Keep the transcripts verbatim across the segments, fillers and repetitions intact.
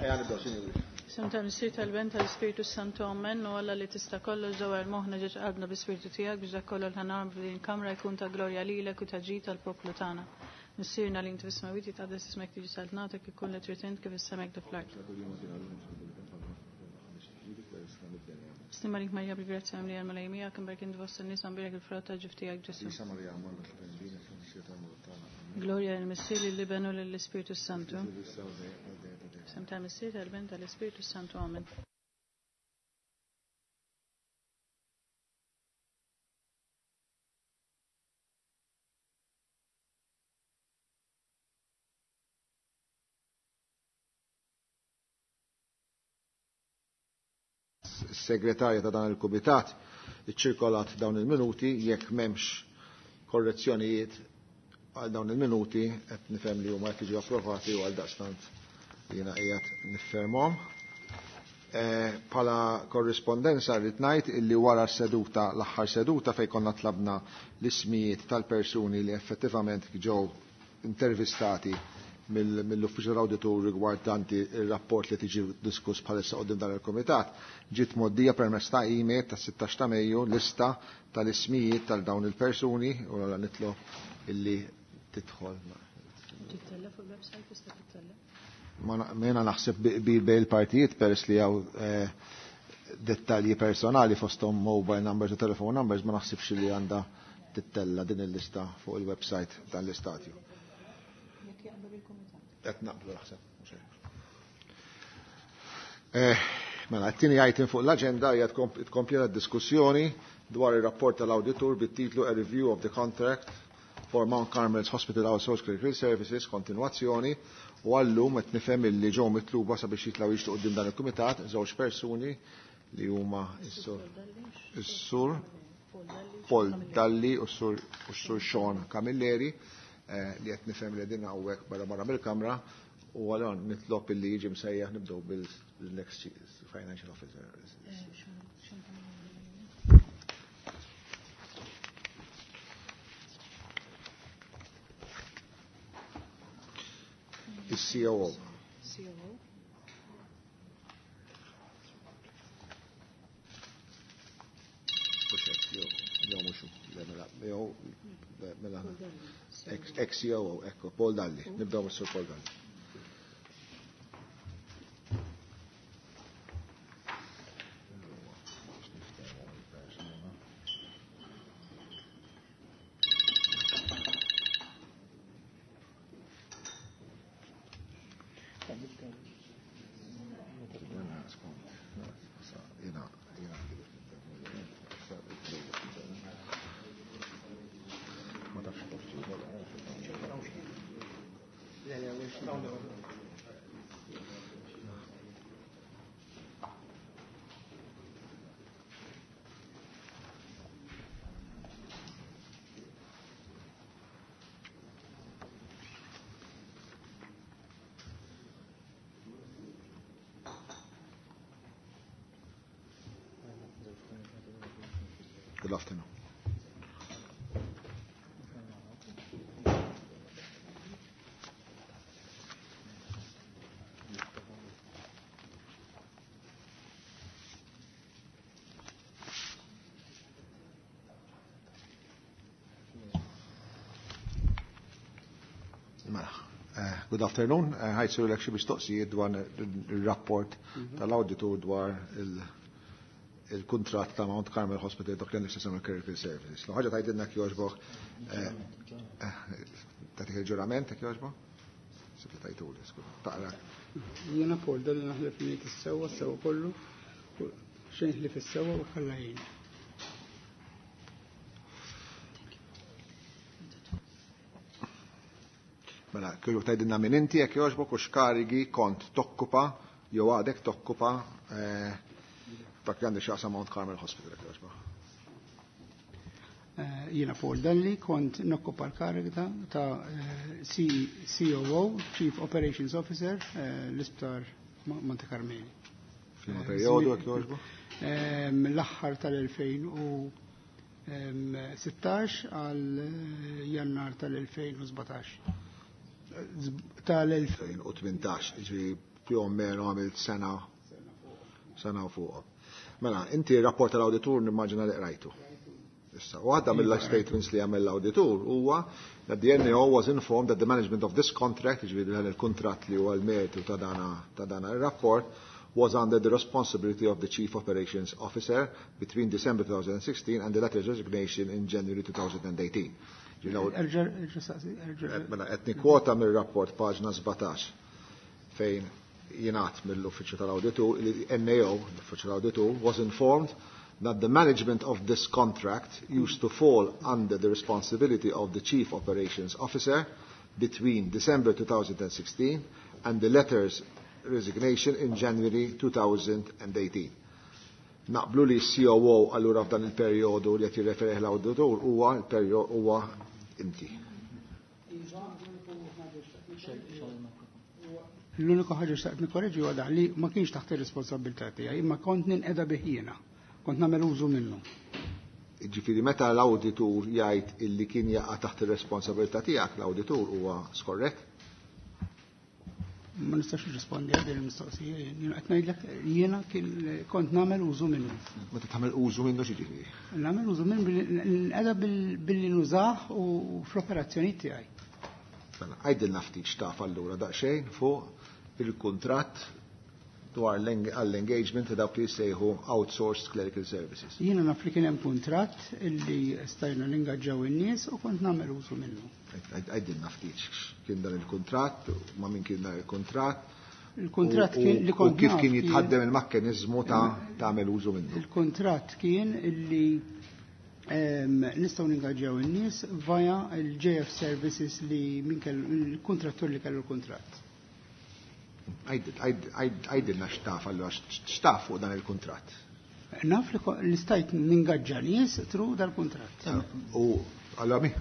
Ejja nibdew, sinjuri. Isem tal-Missier tal-Ben tal-Ispirtu Santu Amen u Alla li tista' kollox dawar moħħna ġeġ qalbna bi-Spirtu tiegħek biex dak kollu li ħanagħmlu f'din il-kamra jkun ta' glorja lilek u ta' ġid tal-poplu tagħna. Missierna li inti fis-smewwiet jitqaddes ismek tiġi saltnatek ikun li trid int kif is-semek du fl-art. Stima lik Marija bil-grazzja mimlija l-Mulej miegħek imberk int fost in-nisa mbierek il-frott ta' ġuf tiegħek Ġesù. Glorja lill-Missier lill-Iben u lill-Ispirtu Santu. Sem tal-Missier tal-Ben tal-Ispirtu Santu. Amen. Segretarja ta' dan il-Kumitat iċċirkolat dawn il-minuti jekk m'hemmx korrezzjonijiet għal dawn il-minuti qed nifhem li huma qed jiġu approvati u għal daqstant jiena qiegħed niffermhom. Bħala korrispondenza rrid ngħid illi wara s-seduta l-aħħar seduta fejn konna tlabna l-ismijiet tal-persuni li effettivament ġew intervistati mill-uffiċċju tal-awditur rigwardanti il-rapport li tiġi diskuss bħalissa qudiem dan il-kumitat, ġiet mgħoddija permezz ta' email tas-sittax ta' Mejju lista tal-ismijiet tal dawn il-persuni u allura nitlob illi tidħol. Tittella fuq il-website tista' tittella? Ma jiena naħseb bi bejn il-partijiet peress li hawn dettalji personali fosthom mobile numbers u telephone numbers ma naħsibx li għandha tittella din il-lista fuq il-website tal-istatju. Qed naqblu naħseb, mhux hekk. Mela, t-tieni item fuq l-aġenda hija tkompli d-diskussjoni dwar ir-rapport tal-awditur bit-titlu A Review of the Contract for Mount Carmel's Hospital Outsourced Clinical Services, kontinwazzjoni, u għallum qed nifhem illi ġew mitluba sabiex jitlgħu jixtiequ quddiem dan il-kumitat żewġ persuni li huma s-sur Paul Dalli u s-sur Sean Camilleri li qed nifhem li din hawnhekk barra barra mill-kamra u għalhekk nitlob illi jiġi msejjaħ nibdew bil-next financial officer. Il-C O O. C O O. Mhux hekk, jew, jew mhux hu, le, mela, jew, le, mela, ex-C O O, ekku, Paul Dalli. Nibdew mis-Sur Paul Dalli. Good afternoon. Mela, good afternoon. Ħajsiru l-ek xi mistoqsijiet dwar il-rapport tal-awditur dwar il-kuntratt ta' Mount Carmel Hospital dak li għandek x'jaqsam il-Clinical Services. L-ħaġa tgħidilna jekk jogħġbok, tagħtik il-ġurament jekk jogħġbok? Sibli tajtuli, skur, taqra. Jiena Paul Dalli naħlef li ngħid is-sewwa, s-sewwa kollu, xejn ħlief is-sewwa u ħalla jien. Mela, kieku tgħidilna min inti jekk jogħġbok u x'karigi kont tokkupa jew għadek tokkupa, eh, dak li għandek x'jaqsam Mount Carmel Hospital jekk jogħġbok. Eh, jiena Paul Dalli kont nokkupa l-kariga ta', eh, C O O, Chief Operations Officer, eh, l-Isptar Monte Carmeli. F'liema perjodu jekk jogħġbok? Eh, mill-aħħar tal-elfejn u, ehm, sittax għal Jannar tal-elfejn u sbatax. Tal-elfejn u tmintax, ġifieri Più o meno għamilt sena sena u fuq. Mela, inti r-rapport tal-awditur nimmaġina li qrajtu. Issa, waħda mill-statements li għamel l-awditur huwa that the N A O was informed that the management of this contract, ġifieri dan il-kuntratt li huwa l-mertu ta' dana ta' dana ir-rapport, was under the responsibility of the Chief Operations Officer between December twenty sixteen and the latter's resignation in January twenty eighteen. Erġa', erġa' saqsi, erġa'. Mela, qed nikkwota mir-rapport, paġna sbatax, fejn jingħad mill-Uffiċċju tal-Awditur li N A O, l-Uffiċċju tal-Awditur, was informed that the management of this contract used to fall under the responsibility of the Chief Operations Officer between December twenty sixteen and the latter's resignation in January twenty eighteen. Naqblu li C O O allura f'dan il-perjodu li qed jirreferih l-awditur huwa l-perjodu huwa inti. L-uniku ħaġa xtaqt nikkoreġi huwa dak li ma kienx taħt ir-responsabilità tiegħi, imma kont ninqeda bih jiena. Kont nagħmel użu minnu. Ġifieri meta l-awditur jgħid illi kien jaqa' taħt ir-responsabilità tiegħek, l-awditur huwa skorrett? Ma nistax nirrispondi għal din il-mistoqsija. Jiena qed ngħidlek jiena kien kont nagħmel użu minnu. Meta tagħmel użu minnu, xi ġifieri? Nagħmel użu minnu billi nqeda billi nużah u fl-operazzjoni tiegħi. Mela, għajdilna ftit x'taf allura daqsxejn fuq il-kuntratt dwar għall-engagement ta' dawk li jsejħu outsourced clerical services. Jiena naf li kien hemm kuntratt illi stajna ningaġġaw in-nies u kont nagħmel użu minnu. Għajdilna ftit kien dan il-kuntratt, ma' min kien dan il-kuntratt. Il-kuntratt kien li u kont kif naf kien jitħaddem il-mekkaniżmu ta' tagħmel użu minnu. Il-kuntratt kien illi em, nistgħu ningaġġaw in-nies via il-J F Services li min kellu il-kontrattur li kellu l-kuntratt. Għajdilna x'taf allura, x'taf fuq dan il-kuntratt. Naf li ko- li stajt ningaġġa nies through dal-kuntratt. U allora mi,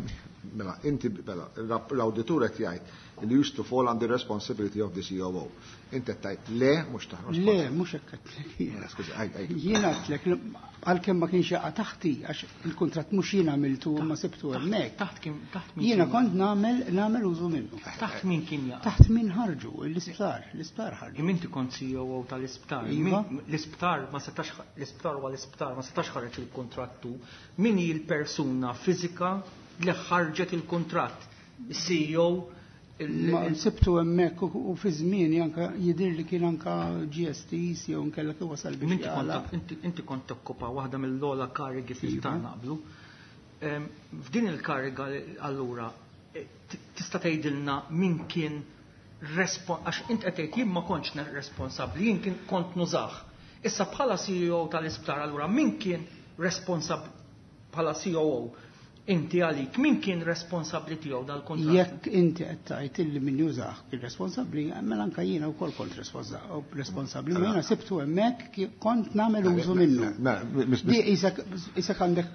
mela, inti, mela, l-awditur qed jgħid li used to fall under the responsibility of the C O O. Inti qed tgħid le, mhux taħt. Le, mhux hekk għedtlek jiena. Skużi, għajd, għajd. Jiena għedtlek li għalkemm ma kienx jaqa' taħti, għax il-kuntratt mhux jiena għamiltu, ma sibtu hemmhekk. Taħt kien taħt min Jiena kien kont nagħmel nagħmel użu minnu. Taħt min kien jaqa'? Taħt min ħarġu, l-isptar, l-isptar ħarġu. Imma inti kont C O O tal-isptar. Iva. Min- L-isptar ma setax, l-isptar huwa l-isptar, ma setax ħareġ il-kontrattu. Min hi l-persuna fiżika li ħarġet il-kontratt? Il-C E O il- Ma sibtu hemmhekk u u fi żmien anka jidher li kien anka G S Ts jew nkella kif wasal biex Inti kont jagħlaq. inti- inti kont tokkupa waħda mill-ogħla karigi fl-isptar, Iva. naqblu. Em, F'din il-kariga allura eh, t- tista' tgħidilna min kien respon għax int qed tgħid jien ma kontx ne- responsabbli, jien kien kont nużah. Issa bħala C E O tal-isptar allura min kien responsabbli bħala C O O, inti għalik min kien responsabbli tiegħu dal-kontratt? Jekk inti qed tgħid illi min jużah kien responsabbli, mela anka jiena wkoll kont responsa- responsabbli, ma jiena sibtu hemmhekk ki- kont nagħmel użu minnu. Mela, mis- Di isek isek għandek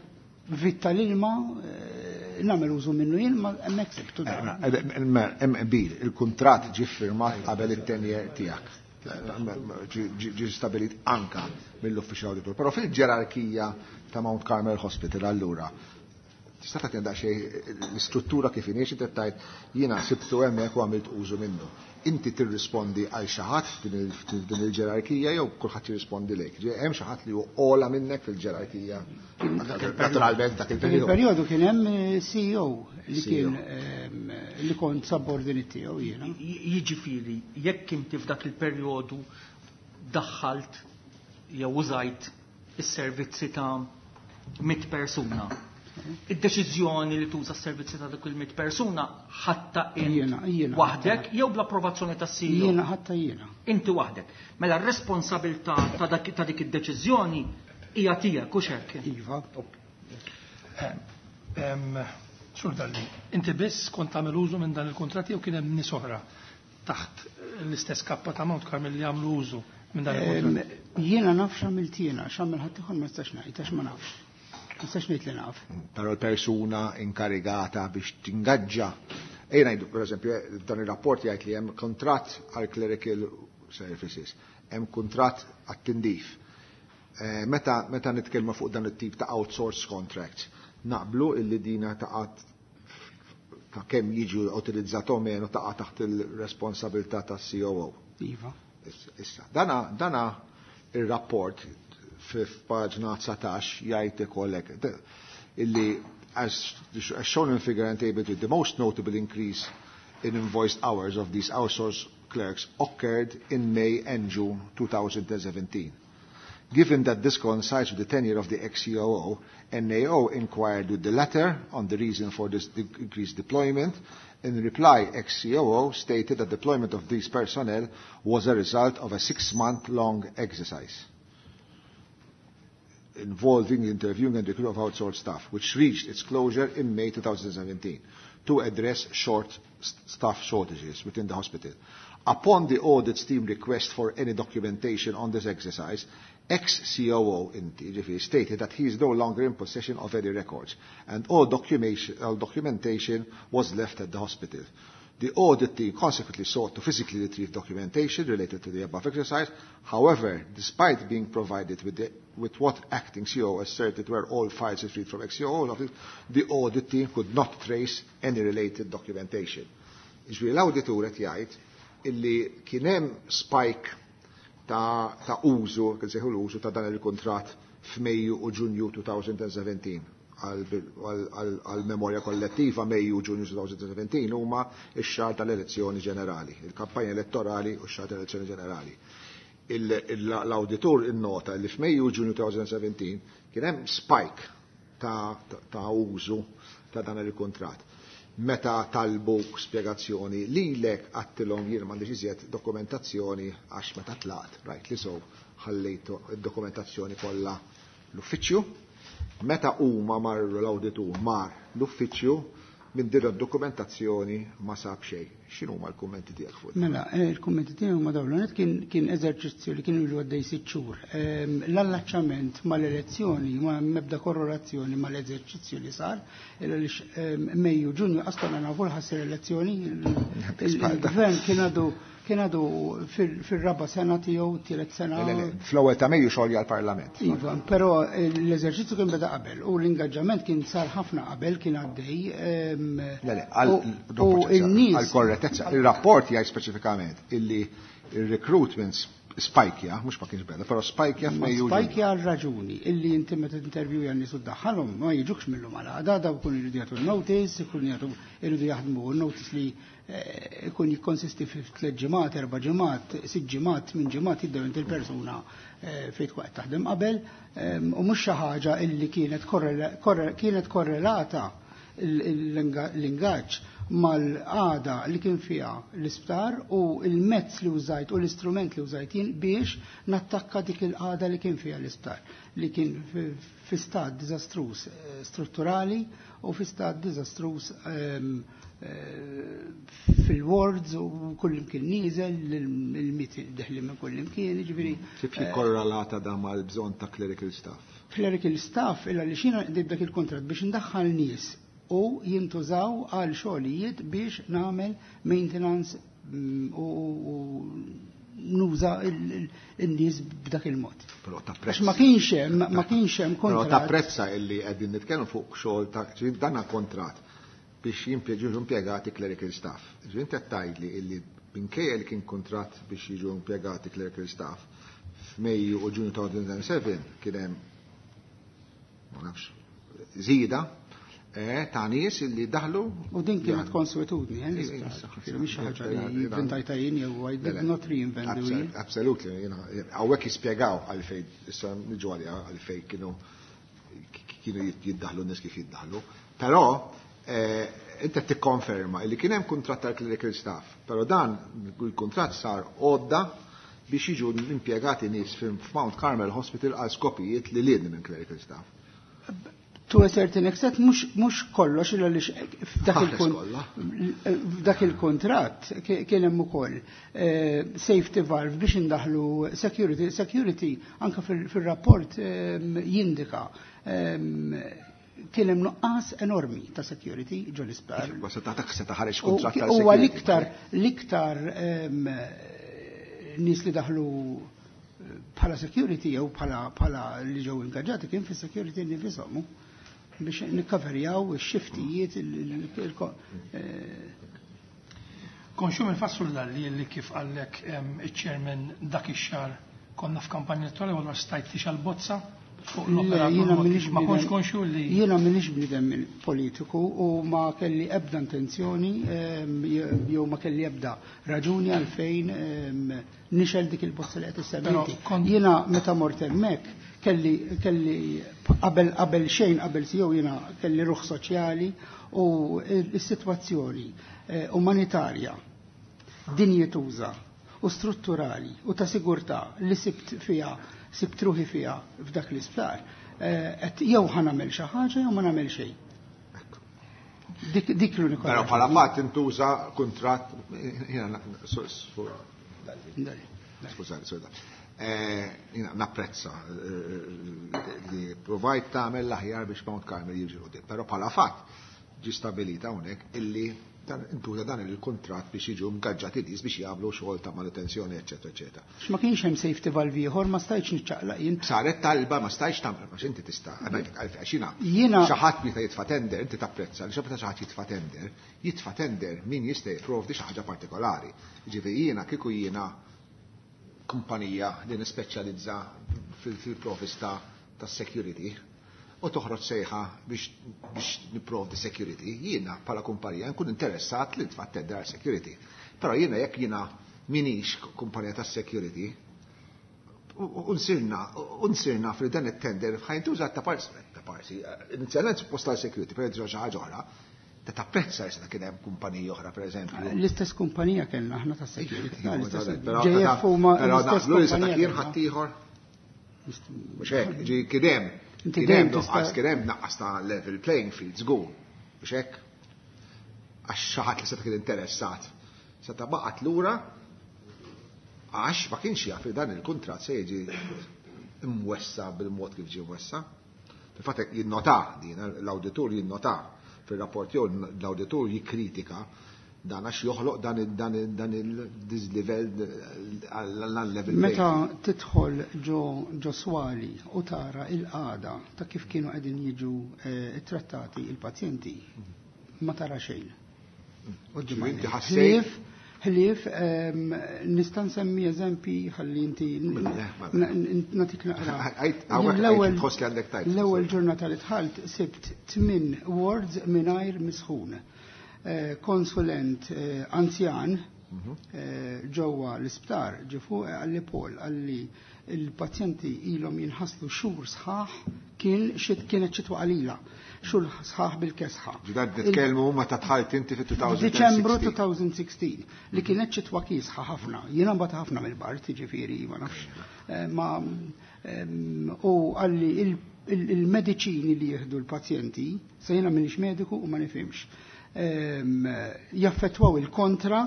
vit tal-ilma, eh, nagħmel użu minnu jien, ma hemmhekk sibtu dan. Hemm qbil, il-kuntratt ġie firmat qabel it-tenure tiegħek. Ġi ġi stabilit anka mill-uffiċjal auditor. Però fil-ġerarkija ta' Mount Carmel Hospital allura tista' tagħtina daqsxejn l-istruttura kif inhi? Inti tgħid jiena sibtu hemmhekk u għamilt użu minnu. Inti tirrispondi għal xi ħadd f'din il-ġerarkija jew kulħadd jirrispondi lejk? Ġie hemm xi ħadd li hu ogħla minnek fil-ġerarkija? Naturalment dak il-perjodu. Il-perjodu kien hemm eh, C E O li C E O. kien ehm, li kont subordinate tiegħu jiena. Jiġifieri, jekk inti f'dak il-perjodu daħħalt jew użajt is-servizzi ta' mit persuna, id-deċiżjoni li tuża s-servizzi ta' dik il-mit persuna ħadtha int Jiena, jiena. waħdek jew bl-approvazzjoni tas-C E O? Jiena, ħadtha jiena. Inti waħdek. Mela r-responsabilità ta' dak- ta' dik id-deċiżjoni hija tiegħek, hux hekk? Iva. Em, Sur Dalli, inti biss kont tagħmel użu minn dan il-kontratti jew kien hemm nies oħra taħt l-istess kappa ta' Mount Carmel li jagħmlu użu minn dan il-kontratt? Ehm, Jiena naf x'għamilt jiena, x'għamel ħadd ieħor ma nistax ngħid għax ma nafx. Ma nistax ngħid li naf. Però l-persuna inkarigata biex tingaġġa. Ejja ngħidu, per eżempju, dan ir-rapport jgħid li hemm kontratt għal clerical services, hemm kontratt għat-tindif. Eh, Meta meta nitkellmu fuq dan it-tip ta' outsource contracts, naqblu illi dina taqa' ta' kemm jiġu utilizzat o meno taqa' taħt il-responsabilità tas-C O O. Iva. Issa, dana, dana il-rapport f'paġna dsatax jgħid ikollek illi as, as shown in figure and table two, the most notable increase in invoiced hours of these outsourced clerks occurred in May and June twenty seventeen. Given that this coincides with the tenure of the ex-C O O, N A O inquired with the latter on the reason for this increased deployment. In reply, ex-C O O stated that deployment of these personnel was a result of a six-month-long exercise involving the interviewing and recruitment of outsourced staff, which reached its closure in May twenty seventeen to address short staff shortages within the hospital. Upon the audit team request for any documentation on this exercise, ex-C O O inti stated that he is no longer in possession of any records and all documentation, all documentation was left at the hospital. The audit team consequently sought to physically retrieve documentation related to the above exercise. However, despite being provided with, the, with what acting C O O asserted were all files retrieved from ex-C O O office, the audit team could not trace any related documentation. Ġifieri l-awditur qed jgħid illi kien hemm spike ta', ta' użu, kien seħu l-użu ta' dan il-kontrat f'Mejju u Ġunju elfejn u sbatax, għal-memorja kollettiva, Mejju u Ġunju elfejn u sbatax huma x-xahar tal-elezzjoni ġenerali, il-kampanja elettorali u x-xahar tal-elezzjoni ġenerali. L-auditur innota li f'Mejju u Ġunju elfejn u sbatax kien hemm spike ta', ta użu ta' dan il-kontrat. Meta talbu spjegazzjoni lilek għedtilhom jien m'għandix iżjed dokumentazzjoni għax meta tlaqt, right, li so ħallejtu id-dokumentazzjoni kollha l-uffiċċju. Meta huma marru, l-awditur mar l-uffiċċju, minn din id-dokumentazzjoni ma sab xejn. X'inhu l-kummenti tiegħek fuq? Mela, eh, il-kummenti tiegħi huma dawn. Kien kien eżerċizzju li kien ilu għaddej sitt xhur. Ehm, l-allaċċament mal-elezzjoni ma mebda korrelazzjoni mal-eżerċizzju li sar, għaliex ehm, Mejju Ġunju qas nafu ħa ssir elezzjoni, il-gvern kien għadu kien għadu fil-raba sena tiegħu, tielet sena. Fl-ewwel ta' Mejju xolja l-Parlament. Iva, però l-eżerċizzju kien beda qabel u l-ingaġġament kien sar ħafna qabel, kien għaddej. Le, le, għal-korrettezza, il-rapport jgħid speċifikament illi il-recruitment spajkja, mhux ma kienx beda, però spajkja f'Mejju. Spajkja għal raġuni illi inti meta interview n-nies u ddaħħalhom ma jiġukx mill-lum għal għada, daw ikun iridu jagħtu notice, ikun jagħtu iridu jaħdmu notice li eh, ikun jikkonsisti fi tliet ġimgħat, erba' ġimgħat, sitt ġimgħat, tmien ġimgħat, jibdew inti l-persuna eh, fejn tkun qed taħdem qabel u mhux xi ħaġa illi kienet kienet korrelata l-ingaġġ mal-qagħda li kien fiha l-isptar u il-mezz li użajt u l-istrument li użajt jien biex nattakka dik il-qagħda li kien fiha l-isptar, li kien fi stat diżastruż eh, strutturali u fi stat diżastruż ehm, eh, fil-wards u kullimkien nieżel, il-miet deħli minn kullimkien, ġifieri. Kif jikkorrelata da mal-bżonn ta' clerical staff? Clerical staff, illa li xina dak il-kontrat biex ndaħħal nies u jintużaw għal xogħlijiet biex nagħmel maintenance mm, u nuża il-nies b'dak il-mod. Però tapprezza. Ma kienx hemm, ma kienx hemm kontrat. Però tapprezza illi qegħdin nitkellmu fuq xogħol ta' dana kontrat biex jimpjeġu impjegati clerical staff. Ġifieri inti qed tgħidli illi minkejja li kien kontrat biex jiġu impjegati clerical staff, f'Mejju u Ġunju ta' elfejn u sbatax kien hemm, ma nafx, żieda Eh, ta' nies illi daħlu. U din kienet konswetudni, eh, mhix ħaġa li inventajtha jien jew I did not reinvent the wheel. Absolutely, hawnhekk jispjegaw għalfejn, issa niġu għalija għalfejn kienu kienu jiddaħlu nies kif jiddaħlu. Però eh, inti tikkonferma li kien hemm kuntratt tal-clerical staff, però dan il-kuntratt sar għodda biex jiġu impjegati nies f'Mount Carmel Hospital għal skopijiet li liedni minn clerical staff. To a certain extent, mhux kollox, illa li f'dak il-kontrat kien hemm ukoll eh, safety valve biex indaħlu security. Security anka fil-rapport ehm, jindika ehm, kien hemm nuqqas enormi ta' security ġo l-isptar. Se kontrat. Huwa l-iktar l-iktar ehm, nies li daħlu bħala security jew bħala li ġew ingaġġati kien fis-security nifisom biex nikkaverjaw ix-xiftijiet. eh, Konxju mill-fatt Dalli li kif qallek iċ-chairman dak ix-xahar konna f'kampanja elettorali u allura stajt tixgħel bozza fuq l-operatur, ma kontx konxju li. Jiena m'iniex bniedem politiku u ma kelli ebda intenzjoni jew ma kelli ebda raġuni għalfejn nixgħel dik il-bozza li qed issemmi. Jiena meta mort hemmhekk kelli kelli qabel qabel xejn, qabel jew jiena kelli ruħ soċjali u s-sitwazzjoni umanitarja dinjetuża u strutturali u ta' sigurtà li sibt fiha sibt ruħi fiha f'dak l-isptar, qed jew ħa nagħmel xi ħaġa jew ma nagħmel xejn. Dik dik l-unika. Però bħala fatt intuża kuntratt, jiena, skużani, jiena napprezza li provajt tagħmel l-aħjar biex Mount Carmel jiġi quddiem, però bħala fatt ġi stabilita hawnhekk illi dan intuża dan il-kuntratt biex jiġu mgaġġati nies biex jagħmlu xogħol ta' manutenzjoni, eċetera, eċetera. Ma kienx hemm safety valve ieħor, ma stajtx niċċaqlaq jien. Saret talba, ma stajtx tagħmel, għax inti tista' għalfejn jiena Jiena xi ħadd meta jitfa' tender, inti tapprezza li meta xi ħadd jitfa' tender, jitfa' tender min jista' jipprovdi xi ħaġa partikolari. Ġifieri jiena kieku jiena kumpanija li nispeċjalizza fil-provista tas-security u toħroġ sejħa biex biex nipprovdi security, jiena bħala kumpanija nkun interessat li nitfa' tender għal security. Però jiena jekk jiena m'iniex kumpanija tas security, u nsirna, u nsirna fil dan it-tender ħa jintuża ta' parsi, ta' parsi, inizjalment suppost tal security, però jintuża xi ħaġa oħra, ta' tapprezza jista' kien hemm kumpaniji oħra, pereżempju. L-istess kumpanija kellna aħna ta' security. Però J F huma però l-istess naqblu li seta' kumpanija kien kellna. ħaddieħor. Mhux hekk, ġi kien hemm Inti kien hemm dejjem tista' nuqqas, kien hemm naqqas ta' level playing field żgur. Mhux hekk? Għax xi ħadd li seta' kien interessat seta' baqgħet lura għax ma kienx jaf li dan il-kuntratt se jiġi imwessa bil-mod kif ġie mwessa. Fil-fatt jinnota din, l-awditur jinnota fil-rapport jew l-awditur jikkritika dan għax joħloq dan il- dan il- dan il-dislevel għall-level. Meta tidħol ġo ġo swali u tara il-qagħda ta' kif kienu qegħdin jiġu eh, trattati il-pazjenti, ma tara xejn. Ġifieri inti ħassejt- Ħlief, ħlief, ehm, nista' nsemmi eżempi ħalli inti Mela, mela. natik naqra. Għajt, hawnhekk L-ewwel- għajt tħoss li għandek tajt. L-ewwel ġurnata li dħalt sibt tmin wards mingħajr misħun. Eh, Konsulent eh, anzjan eh, ġewwa l-isptar ġie fuq qalli, "Paul," qalli, "il-pazjenti ilhom jinħaslu xhur sħaħ," kien xit kienet xitwa qalila, xhur sħaħ bil-kesħa. Ġidan nitkellmu meta dħalt inti fit-elfejn u sittax. Diċembru elfejn u sittax, li kienet xitwa kiesħa ħafna. Jiena mbagħad ħafna mill-bard, ġifieri ma nafx. Eh, Ma em, u qalli il- il- il-mediċini li jieħdu l-pazjenti, se jiena m'iniex mediku u ma nifhimx, em, jaffettwaw il-kontra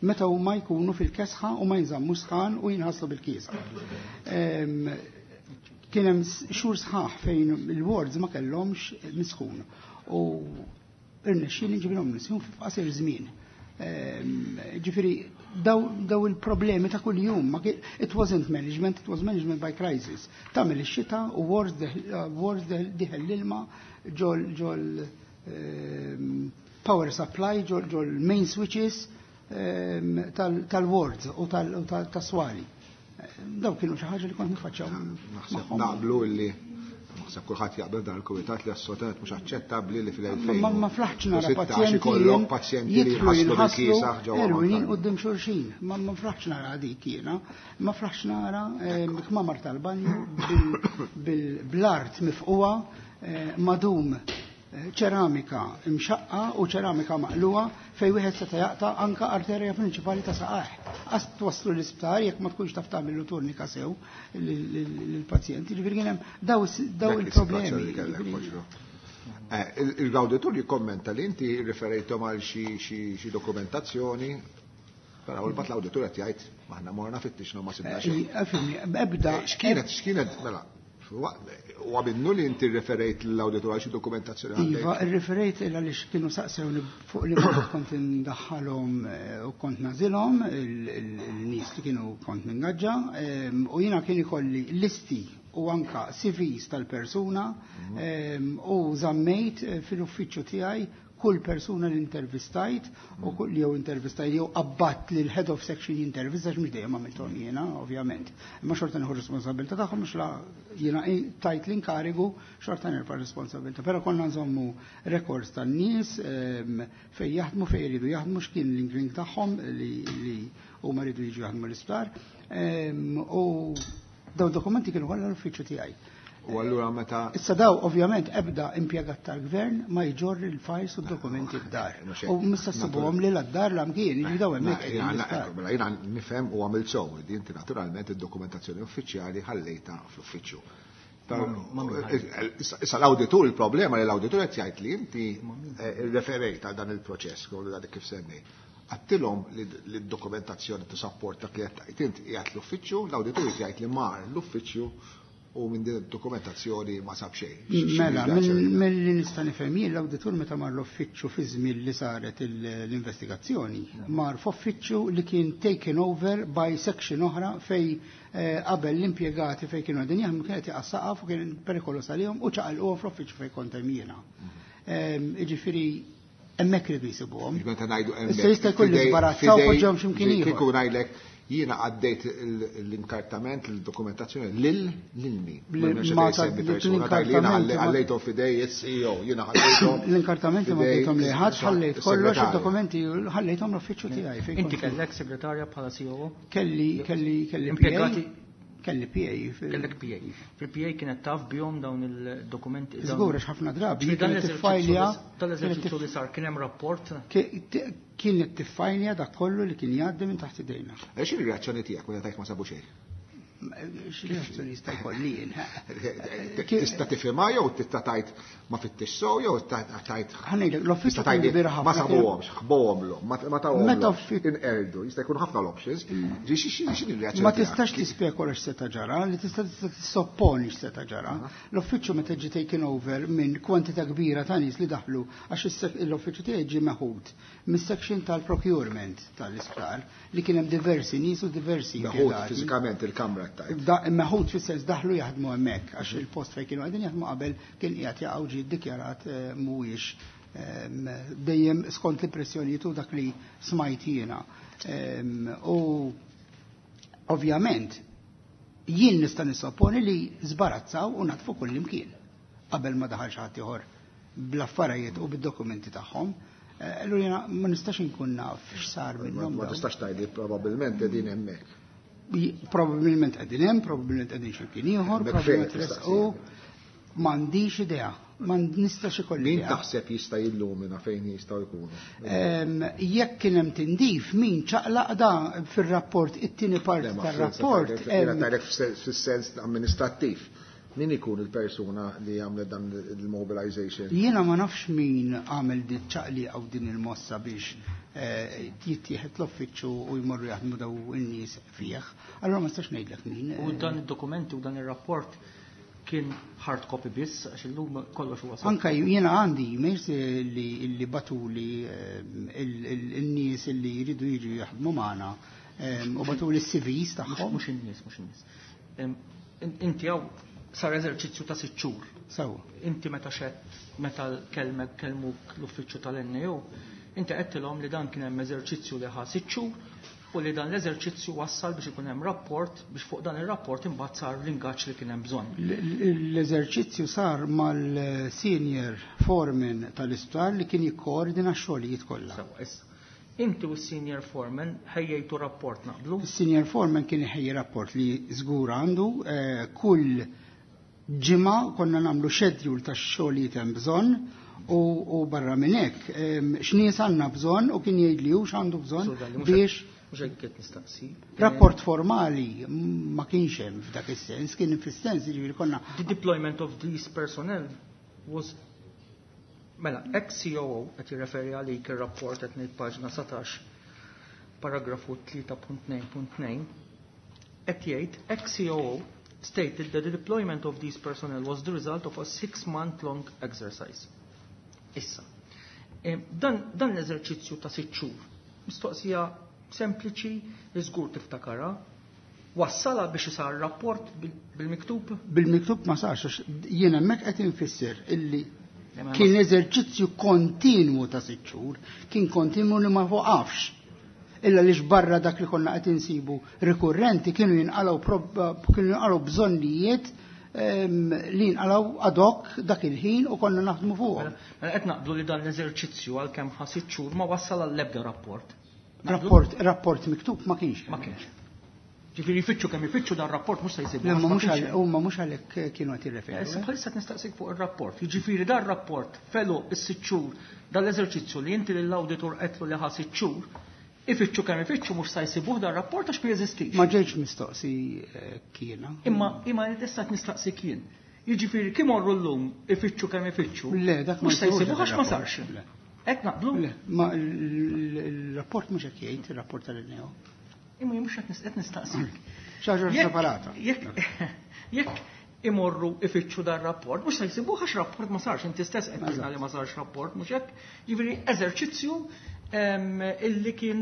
meta huma jkunu fil-kesħa u ma jinżammu sħan u jinħaslu bil-kiesħa. Em, Kien hemm xhur sħaħ fejn il-wards ma kellhomx misħun u irnexxieli nġibilhom misħun f'qasir żmien. Ehm, Ġifieri daw, daw il-problemi ta' kuljum, ma kien- it wasn't management, it was management by crisis. Tagħmel ix-xita u wards wards dieħel l-ilma ġol ġol ehm, power supply, ġol ġol main switches ehm, tal- tal-wards u tal- u tal- tas-swali. Daw kienu xi ħaġa li kont nifaċċaw Naħseb magħhom. naqblu illi naħseb kulħadd jaqbel dan il-kumitat li assolutament mhux aċċettabbli li fil-elfejn. Ma ma flaħtx nara sittax pazjenti ikollok pazjenti li jidħlu jinħaslu jinħaslu bil-kiesaħ ġewwa erwinin Mount quddiem xulxin. Ma ma flaħtx nara dik jiena. Ma flaħtx nara eh, kmamar tal-banju bil- bil-bl-art mifquwa, eh, madum, eh, ċeramika imxaqqa u ċeramika maqluwa fej wieħed seta' jaqta' anka arterja prinċipali ta' saqajh. Qas twaslu l-isptar jekk ma tkunx taf tagħmel turnika sew lill-pazjenti. Ġifieri kien hemm daw daw Dak il-problemi. is-sitwazzjoni li kellek, Ġifieri- Poġġo. Eh, il- Il-awditur jikkommenta li inti riferejtom għal xi xi xi dokumentazzjoni, però l-bat l-awditur qed jgħid maħna morna fittixna ma sibna xejn. Eh, Fimni, ebda. Eh, X'kienet, x'kienet, mela, u minnu li inti referejt l-awditur għal xi dokumentazzjoni għandek? Iva, referejt illa li kienu saqsewni fuq li kont kont indaħħalhom eh, u kont nażilhom il-nies li kienu kont ningaġġa em, u jiena kien ikolli listi u anka C Vs tal-persuna em, u żammejt eh, fil-uffiċċju tiegħi Kull persuna li intervistajt u kull jew intervistajt jew abbat li l-head of section jintervista, mhux dejjem għamilthom jiena, ovvjament. Imma xorta nieħu responsabilità tagħhom, mhux la jiena tajt l-inkarigu, xorta nerfa' responsabilità. Però konna nżommu records tan-nies fejn jaħdmu, fejn jridu jaħdmu, x'kien l-inkling tagħhom li huma jridu jiġu jaħdmu l-isptar. U daw dokumenti kienu kollha l-uffiċċju tiegħi. U allura meta Issa daw ovvjament ebda impjegat tal-gvern ma jġorr il-files u d-dokumenti d-dar. U mista ssibuhom li l-dar la mkien, jiġi daw hemmhekk. Mela jiena nifhem u għamilt sew, inti naturalment id-dokumentazzjoni uffiċjali ħallejta fl-uffiċċju. Issa l-awditur, il-problema li l-awditur qed jgħid li inti referejt għal dan il-proċess, kollu dak kif semmi. Għattilhom li d-dokumentazzjoni t-support dak li qed tgħid inti qiegħed l-uffiċċju, l-awditur jgħid li mar l-uffiċċju u minn din id-dokumentazzjoni ma sab xejn. Mela, mill-li nista' nifhem jien, l-awditur meta mar l-uffiċċju fi żmien li saret l-investigazzjoni, mar f'uffiċċju li kien taken over by section oħra fej qabel l-impjegati fej kienu qegħdin jaħdmu kienet jaqa' saqaf u kien perikolos għalihom u ċaqalquhom fl-uffiċċju fejn kont hemm jiena. Jiġifieri hemmhekk iridu jsibuhom. Meta ngħidu hemmhekk. Issa jista' jkun li żbarazzaw poġġhom x'imkien ieħor. Kieku ngħidlek jiena għaddejt l-inkartament, l-dokumentazzjoni lil lil min. Ħallejthom f'idej is-C E O, jiena ħallejthom. L-inkartamenti ma għaddejthom li ħadd, ħallejt kollox id-dokumenti ħallejthom l-uffiċċju tiegħi. Inti kellek segretarja bħala C O O? Kelli, kelli, kelli Impjegati? Kelli P A. Kellek P A. Fil-P A kienet taf bihom dawn il-dokumenti? Żgur, għax ħafna drabi. Ġifieri dan Kienet l-eżerċizzju tiffajlja li dan l-eżerċizzju li sar kien hemm rapport? Kienet tiffajlja dak kollu li kien jgħaddi minn taħt idejna. X'inhi r-reazzjoni tiegħek meta tajt ma sabu xejn? X'reazzjoni jista' jkolli jien? Tista' tifhimha jew tista' tgħid ma fittix sew jew tgħid Ħa ngħidlek, l-uffiċċju tista' tgħid kien kbir ħafna. Ma sabuhomx, ħbohomlhom, ma ma tawhomlhomx. Meta uffi- Inqerdu, jista' jkun ħafna l-options. Ġi, xi, xi, xi r-reazzjoni Ma tiegħek? tistax tispekola x'seta' ġara, li tista' tista' tissopponi x'seta' ġara. L-uffiċċju meta ġie taken over minn kwantità kbira ta' nies li daħlu għax is-sek-, l-uffiċċju tiegħi ġie meħud mis-section tal-procurement tal-isptar li kien hemm diversi nies u diversi Meħud impjegati. fiżikament il-kamra tajt. Da, meħud fis-sens daħlu jaħdmu hemmhekk għax il-post fejn kienu qegħdin jaħdmu qabel kien qiegħed jaqgħu ġie ddikjarat, eh, mhuwiex, ehm, dejjem skont l-impressjonijiet u dak li smajt jiena. Ehm, u ovvjament jien nista' nissopponi li żbarazzaw u natfu kull imkien qabel ma daħal xi ħadd ieħor bl-affarijiet u bid-dokumenti tagħhom. Eh, allura jiena ma nistax inkun naf x'sar Ma minnhom ma dawn. tistax tgħidli probabbilment qegħdin hemmhekk. Probabbilment qegħdin hemm, probabbilment qegħdin xi mkien ieħor, Hemmhekk probabbilment fejn resqu. M'għandix idea, ma nistax ikolli Min idea. taħseb jista' jillumina fejn jistgħu jkunu? Ehm, jekk kien hemm tindif, min ċaqlaq da fir-rapport, it-tieni parti Le, ma tar-rapport, fil-sens, jiena ehm, tgħidlek fis-sens, fis-sens amministrattiv. Min ikun il-persuna li għamlet dan il-mobilization? Jiena ma nafx min għamel din ċaqli għaw din il-mossa biex, eh, jittieħed l-uffiċċju u jmorru jaħdmu daw in-nies fih. Allura ma nistax ngħidlek min. U dan id-dokumenti u dan ir-rapport kien hard copy biss, għax illum kollox huwa soft. Anka jiena għandi emails li, li batuli, eh, il-, il-, il-nies li jridu jiġu jaħdmu magħna, eh, u batuli s-C Vs tagħhom. Mhux in-nies, mhux in-nies. Em, in-, inti hawn sar eżerċizzju ta' sitt xhur. Sewa. Inti meta xed, meta kelmek, kelmuk l-uffiċċju tal-N A O, inti għedtilhom li dan kien hemm eżerċizzju li ħa sitt xhur u li dan l-eżerċizzju wassal biex ikun hemm rapport biex fuq dan ir-rapport imbagħad sar l-ingaġġ li kien hemm bżonn. L-, l-, l-eżerċizzju sar mal-senior foreman tal-isptar li kien jikkoordina x-xogħlijiet kollha. Sewa, issa. Inti u s-senior foreman ħejjejtu rapport naqblu? Is-senior foreman kien iħejji rapport li żgur għandu, eh, kull ġimgħa konna nagħmlu schedule tax-xogħlijiet hemm bżonn u, u barra minn hekk, em, x'nies għandna bżonn u kien jgħid li hu x'għandu bżonn Sur Dalli, mhux biex hekk, mhux hekk qed nistaqsi. Rapport formali ma kienx hemm f'dak is-sens, kien fis-sens jiġifieri konna The deployment of these personnel was mela, ex-C O O qed jirreferi għalik ir-rapport qed ngħid paġna satax, paragrafu tlieta punt tnejn punt tnejn, qed jgħid ex-C O O stated that the deployment of these personnel was the result of a six-month-long exercise. Issa, em, dan, dan l-eżerċizzju ta' sitt xhur, mistoqsija sempliċi li żgur tiftakara, wassala biex isar rapport bil-, bil-miktub? Bil-miktub ma sarx, għax jien hemmhekk qed infisser illi Kien eżerċizzju kontinwu ta' sitt xhur, kien kontinwu li ma waqafx. Illa li barra dak li konna qed insibu rikurrenti kienu jinqalgħu kienu jinqalgħu bżonnijiet li jinqalgħu ad hoc dak il-ħin u konna naħdmu fuqhom. Mela qed naqblu li dan l-eżerċizzju għalkemm ħa sitt xhur ma wassal għall-ebda rapport. Rapport, rapport miktub ma kienx. Ma kienx. Ġifieri jfittxu kemm ifittxu dan rapport mhux se jsibu. Le, ma mhux huma mhux għalhekk kienu qed jirreferu. Issa bħalissa qed nistaqsik fuq ir-rapport. Jiġifieri dan rapport felu is-sitt xhur dal-eżerċizzju li inti lill-awditur qedlu li ħa sitt xhur, ifittxu kemm ifittxu mhux se jsibuh dan rapport għax ma jeżistix. Ma ġejtx mistoqsi kiena. Imma imma issa qed nistaqsik jien. Jiġifieri kif morru llum ifittxu kemm ifittxu. Le, dak mhux se jsibuh għax ma sarx. Hekk naqblu? Le, ma l-rapport mhux hekk jgħid, ir-rapport tal-N A O. Imma jien mhux qed nistaqsik. Xi ħaġa separata. Jekk imorru ifittxu dan rapport, mhux se jsibuh għax rapport ma sarx, inti stess qed tgħidna li ma sarx rapport, mhux hekk? Jiġifieri eżerċizzju illi kien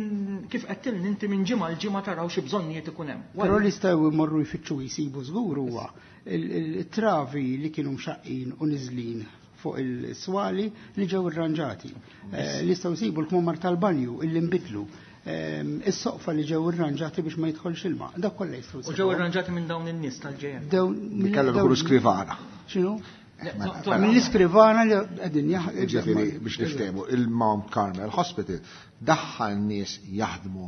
kif qed tilni inti minn ġimgħa l ġimgħa taraw xi bżonnijiet ikun hemm. Però li jistgħu jmorru jfittxu jsibu żgur huwa il-travi li kienu mxaqqin u niżlin fuq il-swali li ġew irranġati. Li jistgħu jsibu l-kmamar tal-banju illi nbidlu. Is-soqfa li ġew irranġati biex ma jidħolx ilma. Dak kollha jistgħu. U ġew irranġati minn dawn in-nies tal-J M. Dawn Kellhom ikunu skrivana. X'inhu? Mill-iskrivana li qegħdin jaħdmu. Ġifieri biex niftehmu, il-Mount Carmel Hospital daħħal nies jaħdmu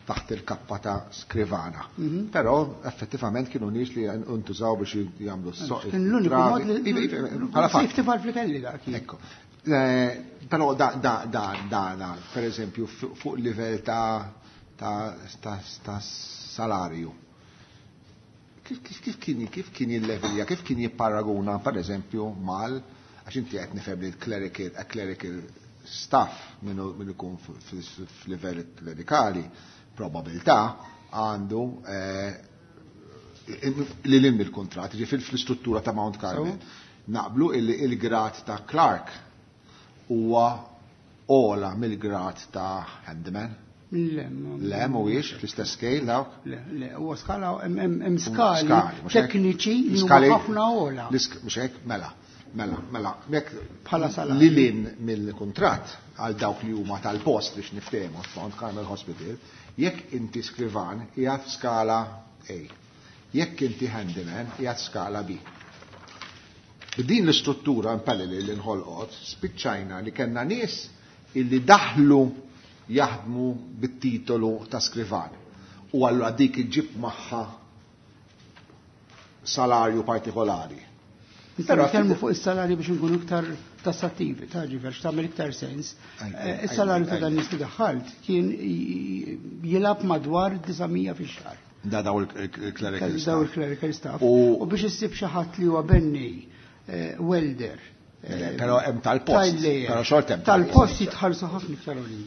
taħt il-kappa ta' skrivana. Però effettivament kienu nies li ntużaw biex jagħmlu s-soq. Kien l-uniku mod li safety valve li kelli dak. Ekku. Però da da da da per eżempju fuq livell ta' ta' ta' salarju. Kif kif kien kif kien jillevilja, kif kien jipparaguna per eżempju mal, għax inti qed nifhem li l-clerical, clerical staff min ikun f'livell klerikali probabilità għandu li l il-kontrat, ġifieri fl-istruttura ta' Mount Carmel. Naqblu il-grad ta' clerk huwa ola mill-grad ta' handyman. Le, Le, mhuwiex fl-istess scale dawk? Le, le, huwa skala, hemm skali tekniċi li huma ħafna ola. Mhux hekk, mela, mela, mela, jekk bħala salarju. Lilin mill-kuntratt għal dawk li huma tal-post biex niftehmu f'Mount Carmel Hospital, jekk inti skrivan qiegħed f'skala A. Jekk inti handyman qiegħed skala B. B'din l-istruttura impelli li nħolqot, spiċċajna li kellna nies illi daħlu jaħdmu bit-titolu ta' skrivan. U allura dik iġib magħha salarju partikolari. Però nitkellmu fuq is-salarju biex nkunu iktar tassattivi, ta' ġifier tagħmel iktar sens. Is-salarju ta' dan nies li daħħalt kien jilgħab madwar disa' mija fix-xahar. Da daw il-clerical staff. Daw il-clerical staff. U biex issib xi ħadd li huwa bennej, welder. Però hemm tal-post. Però xort hemm tal-post jitħallsu ħafna iktar għolin.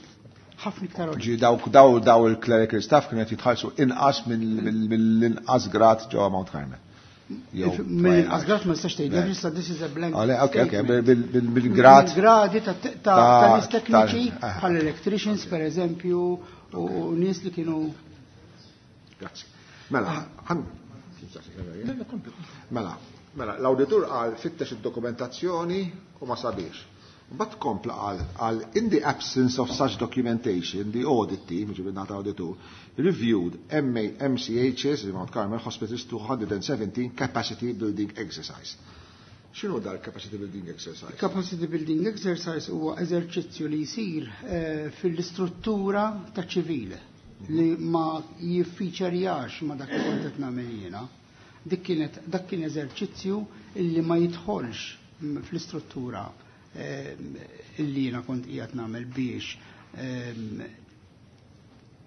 Ħafna iktar għolin. Ġi dawk daw daw il-clerical staff kienu qed jitħallsu inqas mill-inqas grad ġewwa Mount Carmel. Mill-inqas grad ma nistax tgħid, issa this is a blank. Ok, ok, bil-grad. Gradi ta' nies tekniċi bħal electricians per eżempju u nies li kienu. Grazzi. Mela, ħan. Mela, mela, l-awditur qal fittex id-dokumentazzjoni u ma sabiex. Mbagħad kompla qal qal in the absence of such documentation, the audit team, ġifieri nata auditur, reviewed M C H S, Mount Carmel Hospitals two hundred seventeen capacity building exercise. X'inhu dar capacity building exercise? Capacity building exercise huwa eżerċizzju li jsir fil-istruttura ta' ċivile li ma jiffiċerjax ma dak li kont qed nagħmel jiena. Dik kienet dak kien eżerċizzju illi ma jidħolx fl-istruttura illi jiena kont qiegħed nagħmel biex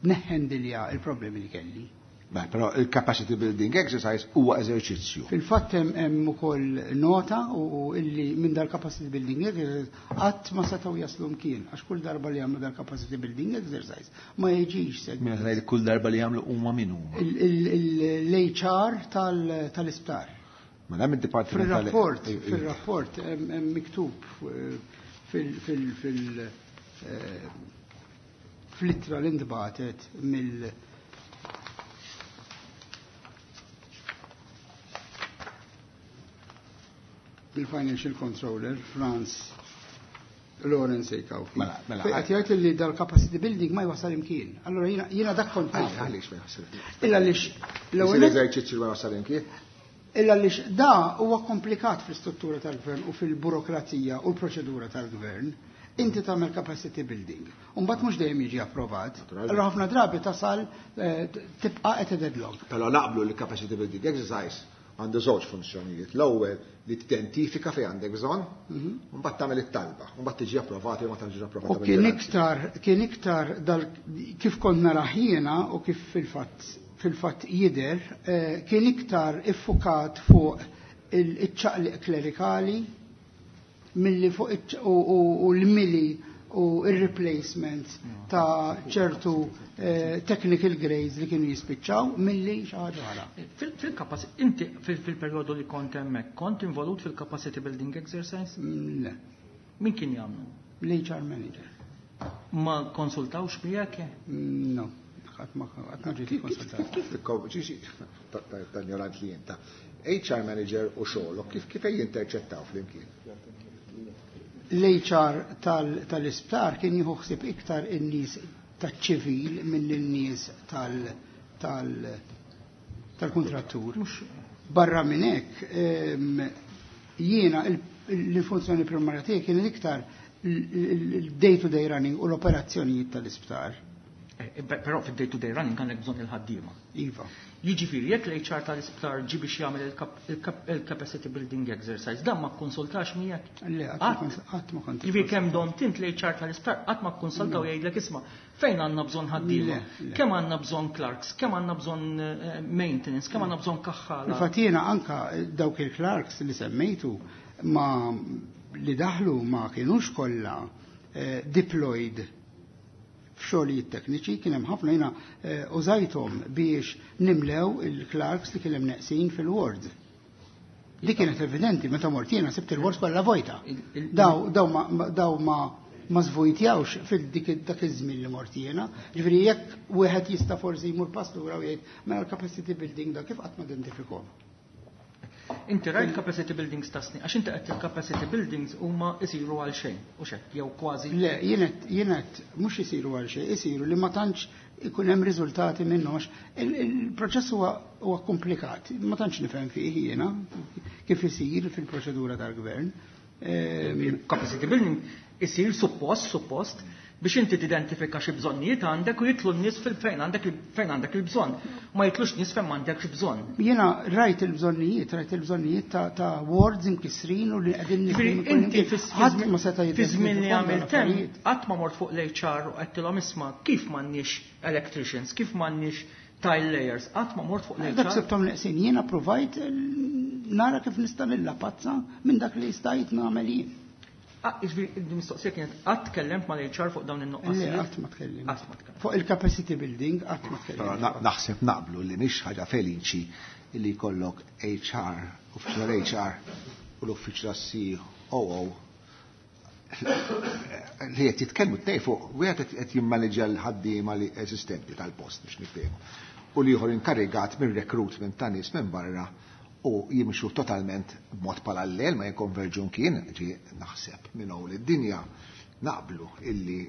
neħendilja il-problemi li kelli. Beh, però il-capacity building exercise huwa eżerċizzju. Fil-fatt hemm ukoll nota u illi minn dal-capacity building exercise qatt ma setgħu jaslu mkien, għax kull darba li jagħmlu dal-capacity building exercise ma jiġix segwit. Minn ngħid kull darba li jagħmlu huma min huma? L-H R tal-isptar. Ma hemm id-dipartiment. Fil-rapport, fil-rapport hemm miktub fil fil fl-ittra li ntbagħtet mill mill-Financial Controller Franz Lawrence A. Cauchi. Mela, mela, Fejn qed jgħid li dal-capacity building ma jwasal imkien. Allora jiena jiena dak kont Għaliex nafu. għaliex ma jwassal imkien? Illa għaliex l-ewwel Isir eżerċizzju ma jwassal imkien? Illa għaliex da huwa komplikat fl-istruttura tal-gvern u fil-burokrazija u l-proċedura tal-gvern. Inti tagħmel capacity building. U mbagħad mhux dejjem jiġi approvat. Naturalment. Allora ħafna drabi tasal eh, tibqa' at a deadlock. Però naqblu li capacity building exercise għandu żewġ funzjonijiet. L-ewwel li tidentifika fejn għandek bżonn, u mbagħad tagħmel it-talba, u mbagħad tiġi approvata jew ma tiġi approvata. U kien iktar, kien iktar dal, kif kont narah jiena u kif fil-fatt fil-fatt jidher, eh, kien iktar iffukat fuq il-ċaqliq klerikali milli fuq iċ- u, u, u l-mili u il-replacement ta' ċertu eh, technical grades li kienu jispiċċaw milli xi ħaġa oħra. Fil- Fil-capacity, inti fil- fil-perjodu li kont hemmhekk, kont involut fil-capacity building exercise? Mm, Le, Min kien jagħmlu? l-H R manager. Ma konsultawx miegħek? Mm, No, qatt ma qatt ma ġiet konsultat. Kif tikko- ġi- ġi- ta- ta- ta' ignorant li jenta. H R manager u xogħolok kif kif jinterċettaw flimkien? L-H R tal- tal-isptar kien jieħu ħsieb iktar in-nies taċ-ċivil mill in-nies tal- tal- tal-kontrattur. Barra minn hekk, em, jiena il- il-funzjoni primarja tiegħi kien iktar il-day-to-day running u l-operazzjonijiet tal-isptar. Eh, eh, Però fid-day to day running għandek bżonn il-ħaddiema. Iva. Jiġifieri jekk l-H R tal-isptar ġi biex jagħmel il-cap- il-cap- il-capacity building exercise, dan ma kkonsultax miegħek? Le, qatt ma kont- qatt ma kont. Jiġifieri kemm domt int l-H R tal-isptar qatt ma kkonsultaw jgħidlek, "Isma', fejn għandna bżonn ħaddiema, Le, le. kemm għandna bżonn clerks, kemm għandna bżonn eh, maintenance, kemm għandna bżonn kaħħala?" Infatti jiena anka dawk il-clerks li semmejtu ma li daħlu ma kienux kollha eh, deployed f'xogħlijiet tekniċi, kien hemm ħafna jiena eh, użajthom biex nimlew il-clerks li kien hemm neqsin fil-ward. Li kienet evidenti, meta mort jiena sibt il-ward kollha vojta. Il- il- Daw daw ma ma- daw ma ma zvojtjawx fil-dik dak iż-żmien li mort jiena. Ġifieri jekk wieħed jista' forsi jmur pass lura u jgħid mela l-capacity building da kif qatt ma identifikhom. Inti rajt capacity buildings ta' snin, għax inti qed il-capacity buildings huma isiru għal xejn, u xek, jew kważi. Le, jienet, jienet mhux isiru għal xejn, isiru li ma tantx ikun hemm riżultati minnhom għax il- il-proċess huwa huwa komplikat, ma tantx nifhem fih jiena kif isir fil-proċedura tal-gvern. Ehm, Il-capacity building isir suppost, suppost, biex inti tidentifika xi bżonnijiet għandek u jitlu n-nies fil-fejn għandek il- fejn għandek il-bżonn. Ma jitlux nies fejn m'għandekx bżonn. Jiena rajt il-bżonnijiet, rajt il-bżonnijiet ta', ta' wards imkisrin u li qegħdin Ġifieri nifhmu kull inti imkien. Ħadd ma seta' fi żmien li jidentifikhom dawn għamilt hemm, l-affarijiet. qatt ma mort fuq l-H R u għedtilhom, "Isma', kif m'għandniex electricians, kif m'għandniex tile layers?" Qatt ma mort fuq Dak l-H R. sibtom neqsin, jiena provajt eh, nara kif nista' nilla pazza minn dak li stajt nagħmel jien. Ah, jiġifieri il-mistoqsija kienet, qatt tkellimt mal-H R fuq dawn Le, in-nuqqasijiet? qatt ma tkellimt. Qatt ma tkellimt. Fuq il-capacity building qatt ma Però tkellimt. na- naħseb naqblu li mhix ħaġa feliċi li jkollok H R, uffiċjal H R u l-uffiċjal C O O li qed jitkellmu tnej fuq wieħed qed jimmaneġġja l-ħaddiema li eżistenti tal-post biex niftehmu. U l-ieħor inkarigat minn recruitment ta' nies minn barra u jimxu totalment b'mod parallel, ma jikkonverġu kien ġi naħseb minn hawn id-dinja naqblu illi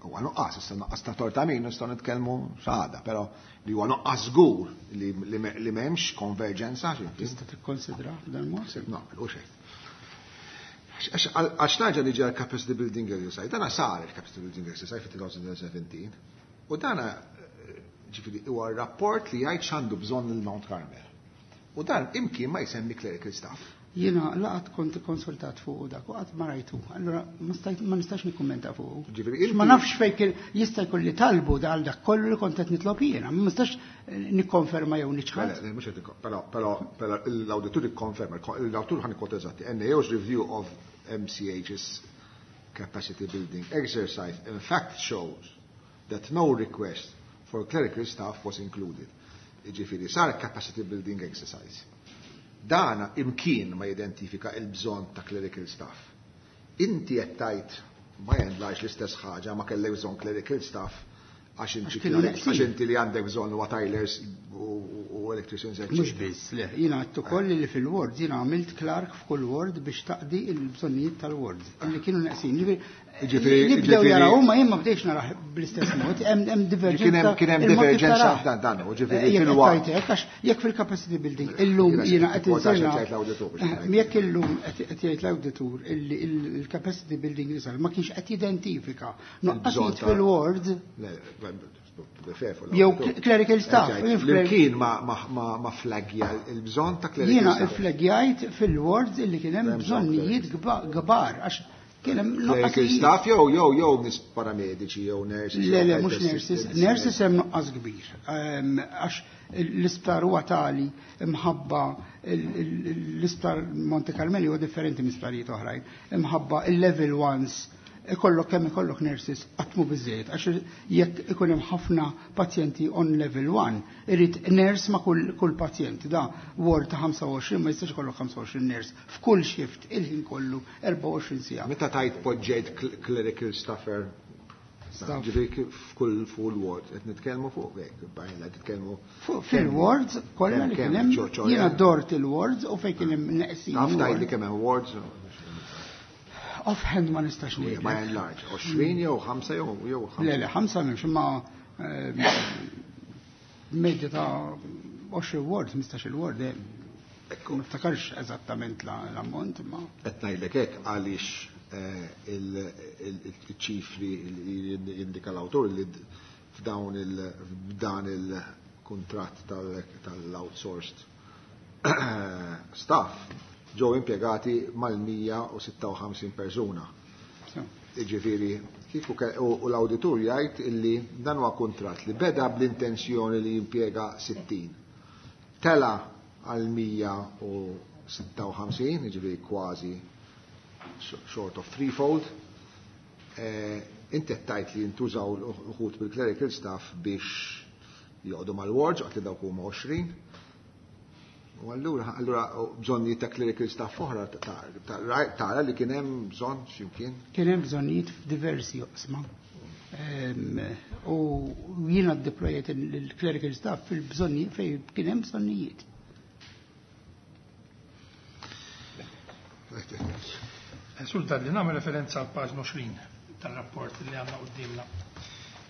huwa nuqqas, issa nuqqas ta' torta min nistgħu nitkellmu x'għada, però li huwa nuqqas żgur li li m'hemmx konverġenza. Tista' tikkonsidra f'dan mod? Naqblu xejn. Għax naġa li ġar capacity building exercise, dana sar il-capacity building exercise fi elfejn u sbatax u dana ġifieri huwa rapport li jgħid x'għandu bżonn il-Mount Carmel. U dan imkien ma jsemmi clerical staff. Jiena laqat kont konsultat fuq dak u qatt ma rajtu. Allora ma stajt ma nistax nikkummenta fuq. Ġifieri Ma nafx fejn kien jista' jkun li talbu dal dak kollu li kont qed nitlob jiena, ma nistax nikkonferma jew niċħad. Le, mhux qed però però però l-awditur ikkonferma, l-awditur ħa nikkwota eżatti. N A O's review of M C H's capacity building exercise in fact shows that no request for clerical staff was included. Ġifieri sar capacity building exercise. Dana imkien ma jidentifika il-bżonn ta' clerical staff. Inti qed tgħid by and large l-istess ħaġa, ma kellek bżonn clerical staff Għax Għax inti kienu neqsin. għax inti li għandek bżonn huwa tilers u u electricians, Mhux eccetera. biss, le, jiena għedt ukoll li fil-ward jiena għamilt clerk f'kull ward biex taqdi il-bżonnijiet tal-ward li kienu neqsin. Ġifieri Ġifieri- li bdew ġifieri- jaraw huma jien ma bdejx narah bl-istess mod, hemm hemm Kien divergenza. hemm kien hemm il-mod kif divergenza tarah. dan dan, u ġifieri Eh, jekk qed fil-waqt. tgħid hekk, għax jekk fil-capacity building illum Jiena jiena qed kwotax insirna qed jgħid l-awditur biex Eh, ngħid. jekk illum qed qed jgħid l-awditur illi il-capacity building li sar ma kienx qed jidentifika Il-bżonn nuqqasijiet ta' fil-ward Le, to be fair for Jew l-awditur. clerical staff, Qed jgħid, jien fl- L-imkien ma ma ma ma flagja il-bżonn ta' clerical Jiena staff. iflegjajt fil-wards illi kien hemm Hemm bżonn bżonnijiet gba- kbar għax kien hemm Clerical nuqqasijiet. staff jew jew jew nies paramediċi jew nurses. Le, jew le, health mhux nurses. assistants. Nurses hemm nuqqas kbir. Ehm, Għax l-isptar huwa tali imħabba il- il- l-isptar Monte Carmeli huwa differenti minn isptarijiet oħrajn. Imħabba il-level ones ikollok kemm ikollok nurses qatt mhu biżejjed għax jekk ikun hemm ħafna pazjenti on level one, irid nurse ma' kull kull pazjent. Da ward ta' ħamsa u għoxrin ma jistax ikollok ħamsa u għoxrin nurse f'kull shift il-ħin kollu erbgħa u għoxrin siegħa. Meta tajt poġġejt cl- clerical staffer Staff. Ġifieri f'kull full ward qed nitkellmu fuq hekk, bajn qed nitkellmu Fuq fil-wards kollha li Kemm- kien hemm ċo- ċo- jiena dort il-wards u fejn kien hemm neqsin. Taf tgħid li ward. kemm hemm wards? Offhand ma nistax By ngħidlek. and large, għoxrin jew ħamsa jew jew ħamsa. Le, le, ħamsa m'hemmx imma ehm, medja ta' għoxrin wards, ħmistax-il ward hemm. Ekku. Ma niftakarx eżattament la- l-ammont imma. Qed ngħidlek hekk għaliex eh, il- il- il-ċifri li jindika l-awtur li d- f'dawn il f'dan il-kuntratt tal- tal-outsourced staff ġew impjegati mal-mija u sitta u ħamsin persuna. So, Ġifieri, kieku ke- u u l-awditur jgħid illi dan huwa kuntratt li beda bl-intenzjoni li jimpjega sittin. Tela għal mija u sitta u ħamsin, ġifieri kważi short of threefold. Eh, Inti qed tgħid li jintużaw l-uħud bil-clerical staff biex joqogħdu mal-wards, għat li dawk huma għoxrin. U allura, allura bżonnijiet ta' clerical staff oħra ta- ta- tara li kien hemm bżonn x'imkien. Kien hemm bżonnijiet f'diversi oqsma. Ehm, U jiena deployet il-clerical staff fil-bżonnijiet fejn kien hemm bżonnijiet. Sur Dalli, nagħmel referenza għal paġna għoxrin tal-rapport li għandna qudiemna.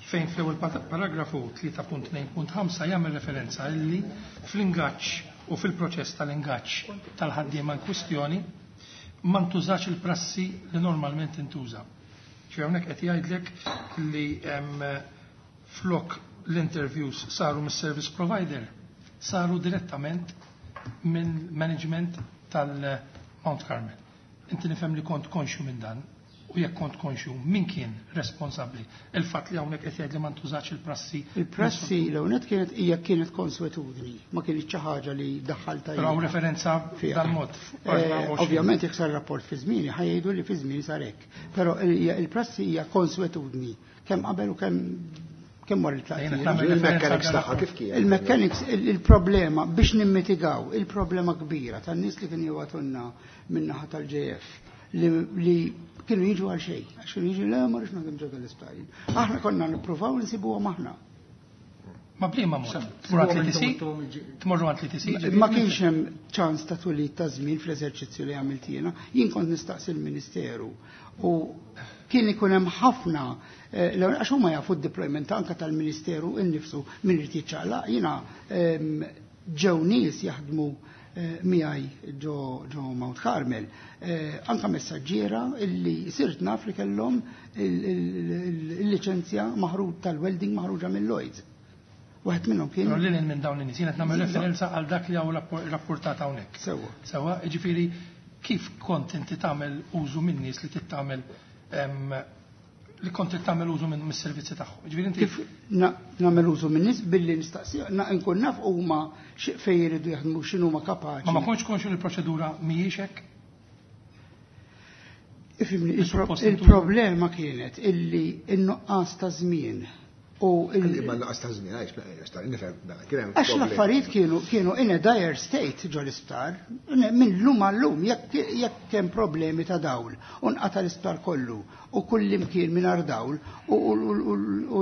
Fejn fl-ewwel pat- paragrafu tlieta punt tnejn punt ħamsa jagħmel referenza illi fl-ingaġġ u fil-proċess tal-ingaġġ tal-ħaddiema in kwistjoni ma ntużax il-prassi li normalment intuża. Ġifieri hawnhekk qed jgħidlek li hemm flok l-interviews saru mis-service provider, saru direttament minn management tal-Mount Carmel. Inti nifhem li kont konxju minn dan, u jekk kont konxju, min kien responsabbli? Il-fatt li hawnhekk qed jgħid li ma ntużax il-prassi. Il-prassi l-ewwel kienet hija kienet konswetudni, ma kienet xi ħaġa li daħħalta Però hawn jiena. referenza Fiha. dal-mod. Eh, Ovvjament jekk sar rapport fi żmieni ħa jgħidu li fi żmieni sar hekk. Però il- il-prassi hija konswetudni kemm qabel u kemm kemm wara Jiena il-tlaqtija. nagħmel Il-mechanics referenza tagħha kif kien? Il-mechanics, il- il-problema biex nimmitigaw il-problema kbira tan-nies li kienu jibagħtulna min-naħa tal-J F li, li kienu jiġu għal xejn, għax kienu jiġu, le, ma rridx naħdem ġo l-isptar. Aħna konna nippruvaw nsibuhom aħna. Ma bliema mod? Tmur għand l-E T C? Tmorru għand l-E T C? Ma kienx hemm ċans ta' twelid ta' żmien fl-eżerċizzju li għamilt jiena. Jien kont nistaqsi l-Ministeru u kien ikun hemm ħafna eh, l- għax huma jafu d-deployment anka tal-Ministeru innifsu min irid jiċċaqlaq. Jiena ehm, ġew nies jaħdmu eh, miegħi ġo ġo Mount Carmel, eh, anka messaġġiera illi sirt naf li kellhom il- il- il- il-liċenzja maħruġ tal-welding maħruġa mill-Lloyds. Waħed minnhom kien Però lil minn dawn in-nies, jiena qed nagħmel referenza għal dak li hawn rapportat hawnhekk. Sewwa. Sewwa, jiġifieri kif kont inti tagħmel użu minn nies li tittamel em, li kont tagħmel użu minn mis-servizzi tagħhom? Jiġifieri inti Kif na- nagħmel użu minn nies billi nistaqsi na- nkun naf huma xi- fejn jridu jaħdmu, x'inhuma kapaċi. ma ma kontx konxu li l-proċedura mhijiex hekk? Ifhimni, il-pro- Suppost intu- il-problema kienet illi n-nuqqas ta' żmien U Imma l-laqas ta' żmien għaliex nifhem kien hemm. Għax l-affarijiet kienu kienu in a dire state ġo l-isptar, minn lum għal-lum, jekk jekk hemm problemi ta' dawl, u nqata' l-isptar kollu, u kull imkien mingħajr dawl, u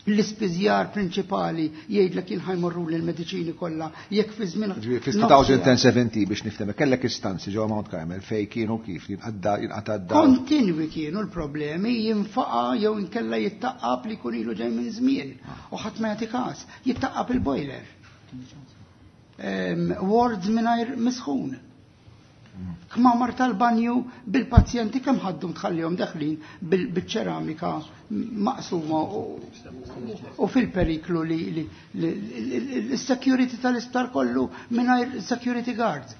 l-ispiżjar prinċipali jgħidlek jien ħa jmorru l-mediċini kollha jekk fi żmien. Fi elfejn u sbatax biex nifhem, kellek istanzi ġewwa Mount Carmel fej kienu kif jinqadda jinqata' d-dawl. Kontinwi kienu l-problemi, jinfaqa jew inkella jittaqqab li jkun ilu ġej minn żmien u ħadd ma jagħti każ, jittaqqab il-boiler. Wards mingħajr misħun. Kmamar tal-banju bil-pazjenti kemm ħaddu tħallihom deħlin bil-ċeramika maqsuma u fil-periklu li l-security tal-isptar kollu mingħajr security guards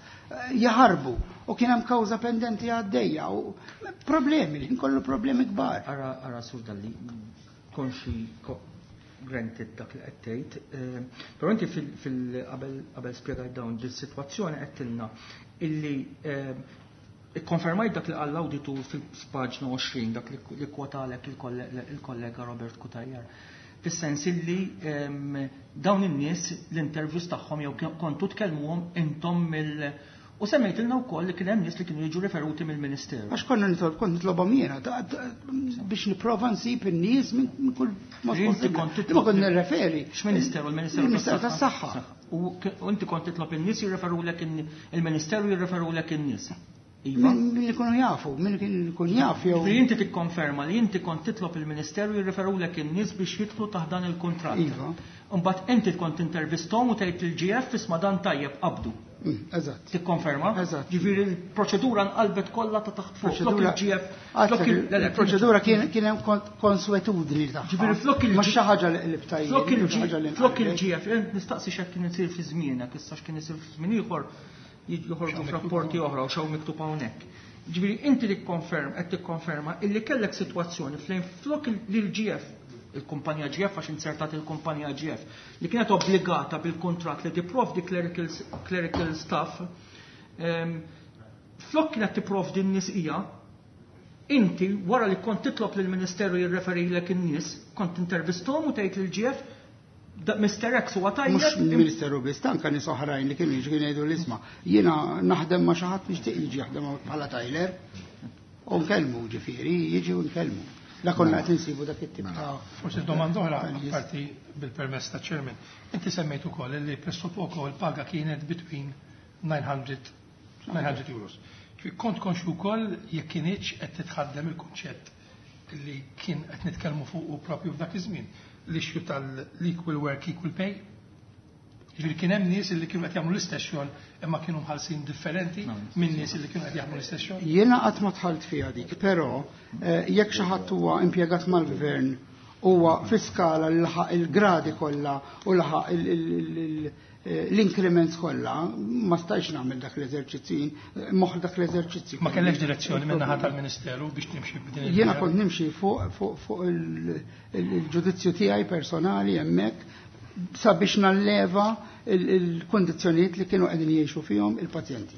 jaħarbu u kien hemm kawża pendenti għaddejja u problemi, li kollu problemi kbar. Ara, ara, Sur Dalli, konxi granted dak li qed tgħid, però inti fil qabel qabel spjegajt dawn dis-sitwazzjoni qed illi ikkonfermajt dak li qal l-awditur fil-paġna għoxrin, dak li kwotalek il-kollega Robert Cutajar. Fis-sens illi dawn in-nies l-interviews tagħhom jew kontu tkellmuhom intom mill- U semmejtilna wkoll li kien hemm nies li kienu jiġu referuti mill-Ministeru. Għax konna nitlob, kont nitlobhom jiena biex nipprova nsib in-nies minn kull mod. Inti kont Ma kont nirreferi. X'Ministeru? Il-Ministeru Il-Ministeru tas-Saħħa. U inti kont titlob in-nies jirreferulek, il-Ministeru jirreferulek in-nies. Iva. Min ikunu jafu, min ikun jaf jew. Inti tikkonferma li inti kont titlob il-Ministeru jirreferulek in-nies biex jidħlu taħt dan il-kuntratt. Iva. Imbagħad inti kont intervistom u tgħid il-G F, "Isma', dan tajjeb, qabdu." Mm, eżatt. Tikkonferma? Eżatt. Ġifieri l-proċedura nqalbet kollha ta' taħt fuq. Flok il-G F. Il-proċedura kien hemm konswetudni tagħha. Ġifieri flok il Ma xi ħaġa li qlibta jien. Flok il-G F, nistaqsi x'hekk kien isir fi żmienek, issa x'kien isir fi żmien ieħor joħorġu f'rapporti oħra u xaw miktub hawnhekk. Ġifieri inti tikkonferm qed tikkonferma illi kellek sitwazzjoni fejn flok l-G F, il-kumpanija G F, għax insertat il-kumpanija G F, li kienet obbligata bil-kontrat li tipprovdi clerical, clerical staff, um, flok kienet tipprovdi n-nies hija, inti wara li kont titlob lill-Ministeru jirreferilek in-nies, kont intervistom u tgħid lill-G F, "Mister X huwa tajjeb." Mhux Ministeru biss, anke nies oħrajn li kienu jiġu, kienu jgħidu l-isma'. Jiena naħdem ma' xi ħadd nixtieq jiġi jaħdem bħala tiler. U nkellmu ġifieri, jiġi u nkellmu. La konna qed insibu dak it-tip ta' Forsi domanda oħra, parti bil-permess ta' chairman. Inti semmejt ukoll li pressappoco il-paga kienet between nine hundred nine hundred euros. Kont konxu wkoll jekk kienx qed titħaddem il-kunċett li kien qed nitkellmu fuq propju f'dak iż-żmien, l-issue tal-equal work, equal pay? Ġifieri kien hemm nies li kienu qed jagħmlu l-istess xogħol imma kienu mħallsin differenti minn nies li kienu qed jagħmlu l-istess xogħol? Jiena qatt ma dħalt fiha dik, però eh, jekk xi ħadd huwa impjegat mal-gvern, huwa fi skala li laħaq il-gradi kollha u laħaq l-increments kollha, ma stajx nagħmel dak l-eżerċizzju, moħ dak l-eżerċizzju. Ma kellekx direzzjoni minn naħa tal-Ministeru biex timxi b'din il Jiena kont nimxi fuq fuq il-ġudizzju tiegħi personali hemmhekk sabiex nalleva il-kondizzjonijiet li kienu qegħdin jgħixu fihom il-pazjenti.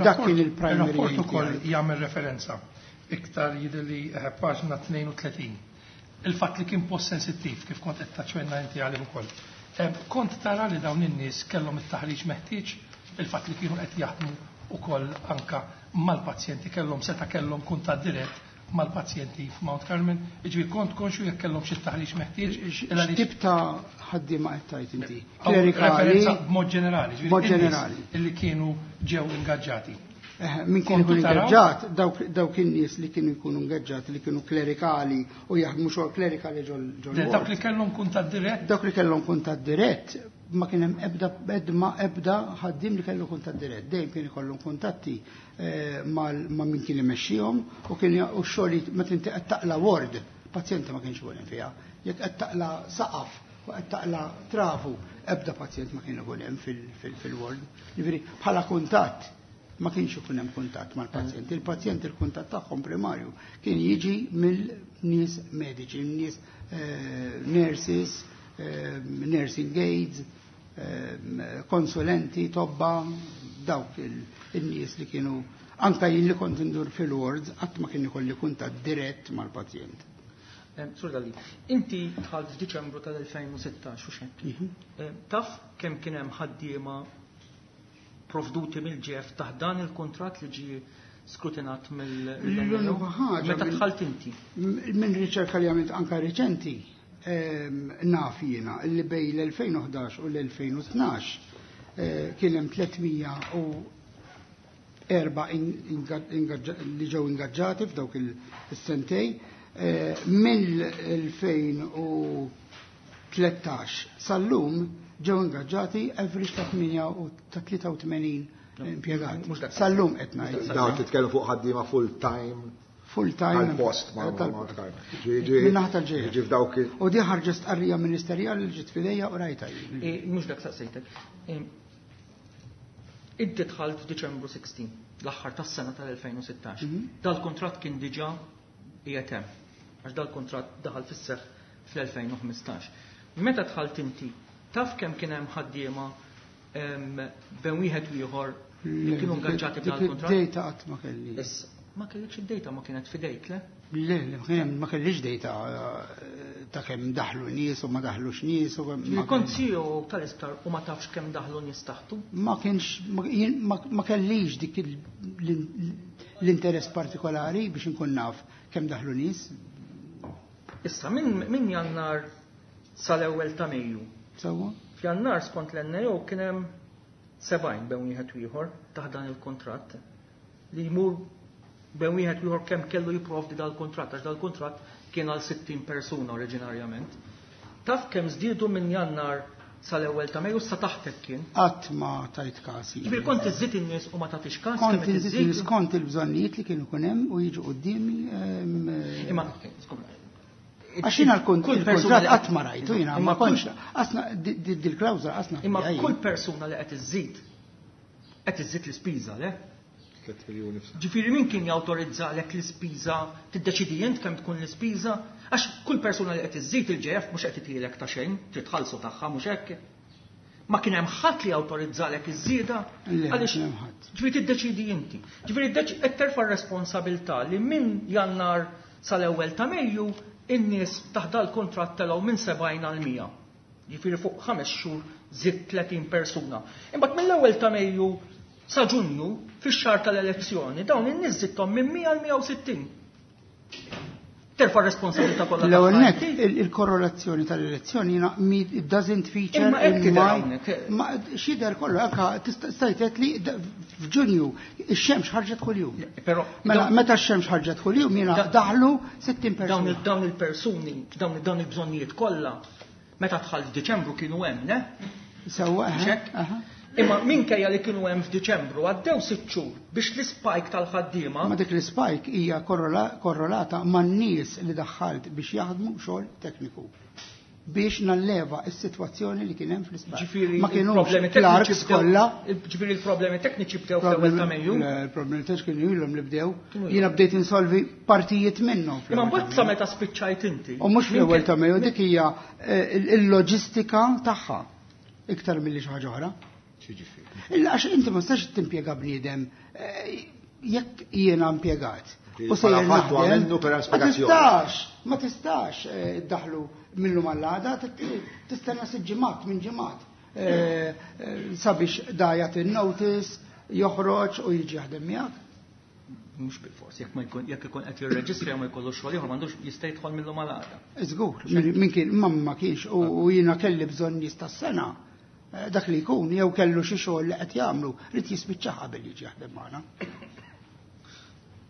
Dak kien il-primary. Il-rapport ukoll jagħmel referenza iktar, jidhirli eh, paġna tnejn u tletin. Il-fatt li kien post sensittiv, kif kont qed taċċenna inti għalih ukoll. Eh, kont tara li dawn in-nies kellhom it-taħriġ meħtieġ, il-fatt li kienu qed jaħdmu ukoll anka mal-pazjenti, kellhom seta' kellhom kuntatt dirett mal-pazjenti f'Mount Carmel, ġifieri kont konxu jekk kellhom xi taħriġ meħtieġ? X'tip ta' ħaddiema qed tgħid inti? Klerikali? B'mod ġenerali. B'mod ġenerali. Illi kienu ġew ingaġġati. Eh, min kien ikun ingaġġat, dawk in-nies li kienu jkunu ingaġġati li kienu klerikali u jaħdmu xogħol klerikali ġol ġol. Dawk li kellhom kuntatt dirett? Dawk li kellhom kuntatt dirett, ma kien hemm ebda ebda ebda ħaddiem li kellu kuntatt dirett. Dejjem kien ikollhom kuntatti eh, ma' min kien imexxihom u kien u x-xogħol meta inti qed taqla ward, pazjenti ma kienx ikun fiha. Jekk qed taqla saqaf u qed taqla travu, ebda pazjent ma kien ikun hemm fil-ward. Jiġifieri bħala kuntatt ma kienx ikun hemm kuntatt mal-pazjenti. Il-pazjenti il-kuntatt tagħhom primarju kien jiġi mill-nies mediċi, nies eh, nurses, eh, nursing aides, konsulenti, tobba, dawk il-nies li kienu. Anka jien li kont indur fil-wards, qatt ma kien ikolli kuntatt dirett mal-pazjent. Sur Dalli, inti dħalt f'Diċembru tal-elfejn u sittax, u x'hekk? Mhm. Taf kemm kien hemm ħaddiema provduti mill-J F taħt dan il-kuntratt li ġie skrutinat mill- L-unika ħaġa Meta mill- dħalt inti? Minn riċerka li għamilt anka reċenti, ehm, naf jiena li bejn l-elfejn u ħdax u l-elfejn u tnax, eh, kien hemm tliet mija u erba' li ġew ingaġġati f'dawk il-sentej. Eh, mill-elfejn u tlettax sal-lum ġew ingaġġati average ta' tmienja u ta' tlieta u tmenin impjegat. Mhux dak. Sal-lum qed ngħid. Dawn titkellmu fuq ħaddiema full time. Full time. Tal-post ma' Tal- ma' Ġi Min naħa tal-J F. Ġi f'dawk il- U di ħarġet stqarrija ministerjali li ġiet f'idejja u rajta jien. Eh, mhux dak saqsejtek. Eh, inti dħalt f'Diċembru sittax, l-aħħar tas-sena tal-elfejn u sittax. Mhm. Dal-kuntratt kien diġà qiegħed hemm, għax dal-kuntratt daħal fis-seħħ fl-elfejn u ħmistax. Meta dħalt inti, taf kemm kien hemm ħaddiema, em, bejn wieħed u ieħor li kienu ingaġġati Dik b'dal-kuntratt? id-data qatt ma kelli. Issa, ma kellekx id-data, ma kienet fidejk, le? Le, le, ma kien hemm- ma kellix data, eh, ta' kemm daħlu nies u ma daħlux nies u kemm ma Kont C E O tal-isptar u ma tafx kemm daħlu nies taħtu? Ma kienx, ma, jien, ma, ma kellix dik il-, l-, l-interess partikolari biex inkun naf kemm daħlu nies. Issa, minn min Jannar sal-ewwel ta' Mejju. Sewwa? F'Jannar skont l-N A O kien hemm sebgħin bejn wieħed u ieħor taħt dan il-kuntratt li jmur bejn wieħed u ieħor kemm kellu jipprovdi dal-kuntratt, għax dal-kuntratt kien għal sittin persuna oriġinarjament. Taf kemm żdiedu minn Jannar sal-ewwel ta' Mejju, sa taħtek kien? Qatt ma tajt kasi. Ġifieri kont iżżid in-nies u ma tagħtix każ Kont kemm qed inżid iżżid? in-nies kont il-bżonnijiet li kienu kun hemm u jiġu quddiemi. ehm, Imma, skuża, Għax jiena l-kunt- kull persuna il-kuntratt li qatt ma rajtu jiena, Imma ma kontx qasna dil-klawżola qasna Imma fiha jien. kull persuna li qed iżżid qed iżżid l-ispiża, le? Tliet miljuni f'sena. Ġifieri min kien jawtorizzalek l-ispiża, tiddeċidi int kemm tkun l-ispiża, għax kull persuna li qed iżżid il-J F mhux qed itilek ta' xejn, trid tħallsu tagħha, mhux hekk. Ma kien hemm ħadd li jawtorizzalek iż-żieda, Le, ma għaliex kien hemm ħadd. Ġifieri tiddeċidi inti. Ġifieri qed terfa' r-responsabilità li minn Jannar sal-ewwel ta' Mejju in-nies taħt dal-kuntratt telgħu minn sebgħin għal mija. Ġifieri fuq ħames xhur żidt tletin persuna. Imbagħad mill-ewwel ta' Mejju sa Ġunju, fix-xahar tal-elezzjoni, dawn in-nies żidthom minn mija għal mija u sittin. Terfa' r-responsabilità kollha L-ewwel tagħha nett, inti. il- il-korrelazzjoni tal-elezzjoni jiena mi- it doesn't feature Imma hekk in tidher my hawnhekk. Ma x'jidher kollu, anka tista' stajtet li d- f'Ġunju ix-xemx ħarġet kuljum. Però Mela dawn- meta x-xemx ħarġet kuljum jiena Da- daħlu sittin dawn persuna. il- dawn il-persuni, dawn dawn il-bżonnijiet kollha, meta dħal f'Diċembru kienu hemm, ne? Sewwa, Mhux aha, hekk? aha. Imma minkejja li kienu hemm f'Diċembru għaddew sitt xhur biex l-spike tal-ħaddiema. Ma dik l-spike hija korrola- korrelata man-nies li daħħalt biex jaħdmu xogħol tekniku biex nalleva s-sitwazzjoni li kien hemm fl-isptar. Ġifieri Ma kienux il-problemi clerks tekniċi bdew kollha. Ġifieri il-problemi tekniċi bdew fl-ewwel ta' Mejju. Il-problemi tekniċi kienu ilhom li bdew. Kienu ilhom. Jiena bdejt insolvi partijiet minnhom. Imma fl-ewwel mbagħad ta' sa Mejju. meta spiċċajt inti. U mhux fl-ewwel ta' Mejju, min- dik hija eh, il-loġistika tagħha iktar milli xi ħaġa oħra. Xiġifieri? Illa għax inti ma tistax timpjega bniedem, eh, jekk jiena impjegat. Li U sejjer bħala fattu naħdem, għamilnu per ma spjegazzjoni. tistax, ma tistax eh, iddaħlu minnu mal-għada, tistenna sitt ġimgħat minn ġimgħat eh, eh, sabiex da jagħti notice, joħroġ u jiġi jaħdem miegħek. Mhux bil-fors, jekk ma jkun jekk ikun qed jirreġistra ma jkollu xogħol ieħor m'għandux jista' jidħol millu mal-għada. Żgur, min min kien ma ma kienx u u jiena kelli bżonn nies tas-sena. Eh, Dak li jkun jew kellu xi xogħol li qed jagħmlu, rid jispiċċa qabel jiġi jaħdem magħna.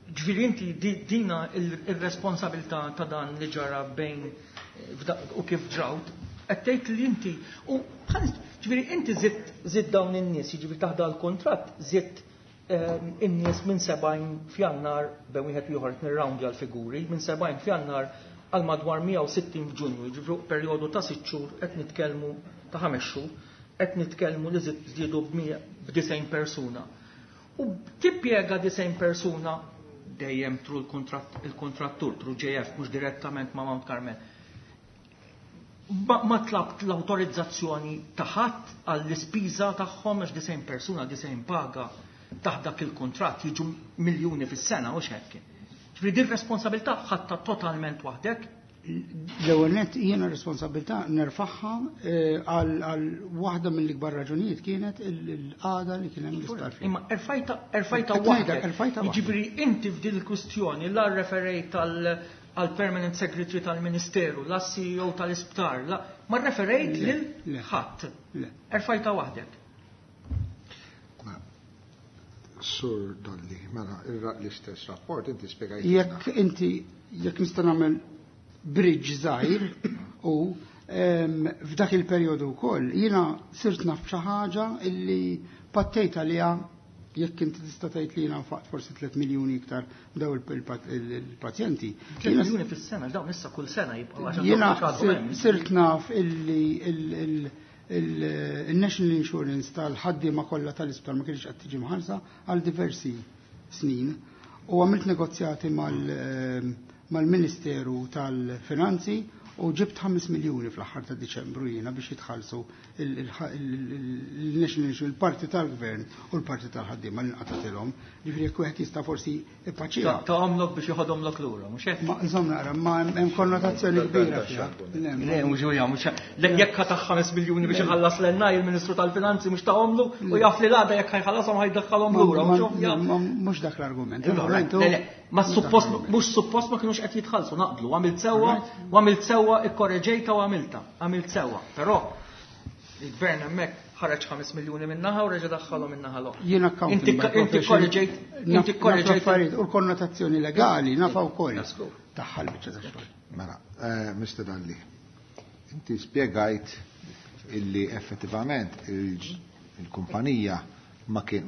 Ġifieri inti di- dina il- il-responsabilità ta' dan li ġara bejn eh, f'da- u kif ġrawt, qed tgħid li inti u ħanis- ġifieri inti żidt żidt dawn in-nies, jiġifieri taħt dal-kuntratt żidt ehm, in-nies minn sebgħin f'Jannar bejn wieħed u ieħor qed nirrawndja l-figuri, minn sebgħin f'Jannar għal madwar mija u sittin f'Ġunju, jiġifieri perjodu ta' sitt xhur qed nitkellmu ta' ħames xhur, qed nitkellmu li żid- żdiedu b'disgħin persuna. U tippjega disgħin persuna dejjem through il-kontratt- il-kontrattur, through J F, mhux direttament ma' Mount Carmel. Ma, ma tlabt l-autorizzazzjoni ta' ħadd għall-ispiża tagħhom għax disgħin persuna, disgħin paga taħt dak il-kontratt jiġu miljuni fis-sena u hekk. Ġifieri din responsabilità ħadta totalment waħdek? L-ewwel nett jiena responsabilità nerfagħha eh, għal għal waħda mill-ikbar raġunijiet kienet il-qagħda li kien hemm l-isptar fiha. Imma erfajta erfajta Qed ngħidlek, waħdek. erfajta waħdek. Jiġifieri inti f'din il-kwistjoni la referejt għal għal permanent secretary tal-Ministeru, la C E O tal-isptar, la ma referejt Le, lil le. ħadd. Le. Erfajta waħdek. Sur Dalli, mela, il- l-istess rapport inti spiegajt. Jekk inti, jekk nista' nagħmel bridge żgħir u em, f'dak il-perjodu wkoll jiena sirt naf xi ħaġa illi pattejt għaliha, jekk inti tista' tgħid li jiena nfaqt forsi tliet miljuni iktar daw il-pazjenti. tliet miljuni fis-sena, dawn issa kull sena jibqgħu għax Jiena għandhom għadhom sir- hemm. sirt naf illi il- il- il- il-National Insurance tal-ħaddiema kollha tal-isptar ma kienx qed tiġi mħallsa għal diversi snin u għamilt negozjati mal- ehm, mal-Ministeru tal-Finanzi u ġibt ħames miljuni fl-aħħar ta' Diċembru jiena biex jitħallsu il-National Insurance, il-parti tal-Gvern u l-parti tal-ħaddiema li nqatatilhom. Ġifieri jekk wieħed jista' forsi ipaċiha. Ta' għamlok biex joħodhomlok lura, mhux hekk? Ma nżomm naqra, ma hemm konnotazzjoni kbira fiha. Le, Le, mhux huwa mhux le, jekk ħa ta ħames miljuni biex iħallas l-N I il-Ministru tal-Finanzi, mhux ta' u jaf li l-għada jekk ħa jħallashom ħa jdakkalhom lura, mhux ovvja. Mhux dak l-argument. Le, le, ma suppost mhux suppost ma kinux qed jitħallsu, naqblu, għamilt sewwa, u għamilt sewwa, ikkorreġejta u għamilta, għamilt sewwa. Però il-gvern hemmhekk ħareġ ħames miljuni minnaħa u reġa' daħħalhom minnaħa l-oħra. Jien accountant Inti by inti profession. korreġejt, inti Naf- korreġejt. naf affarijiet u l-konnotazzjoni legali nafa wkoll. That's cool. Taħħal biċċa ta' xogħol. Mela, eh, Mister Dalli, inti spiegajt illi effettivament il- il-kumpanija ma kien-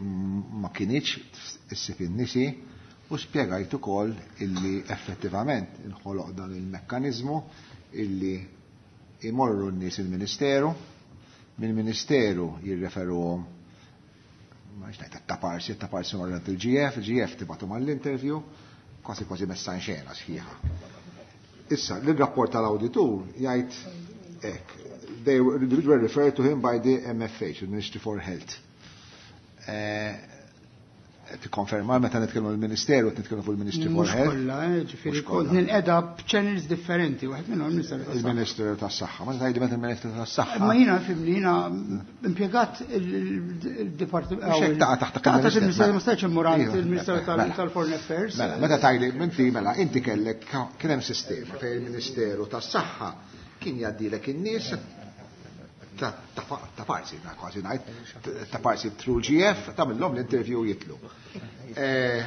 ma kinitx issib in-nies u spiegajt ukoll illi effettivament inħoloq dan il-mekkaniżmu illi imorru n-nies il-Ministeru, mill-Ministeru jirreferuhom ma ngħid taparsi, taparsi morru il-G F, il-G F tibgħatu mal-interview, kważi kważi messa in xena sħiħa. Issa, l-rapport tal-auditur jgħid hekk, they were, they were referred to him by the M F H, the Ministry for Health. Eh, Tikkonferma meta nitkellmu l-Ministeru, nitkellmu fuq il-Ministry for Mhux Health? kollha, eh, ġifieri Mhux kont kollha. ninqeda b'channels differenti, wieħed minnhom il-Ministeru tas-Saħħa. Il-Ministeru tas-Saħħa. Ma tgħidli meta il-Ministeru tas-Saħħa. Ma jiena fimni, jiena impjegat il-Dipartiment. Mhux hekk taqa' taħt Taqa' taħt il-Ministeru. il-Ministeru, ma stajtx immur għand Iva, il-Ministeru tal- mela. tal-Foreign Affairs. Mela, meta tgħidli inti mela inti kellek kien hemm sistema fejn il-Ministeru tas-Saħħa kien jgħaddilek in-nies ta' ta' ta' parsi, na kważi ngħid, ta' parsi through G F, tagħmilhom l-interview jitlu. Eh,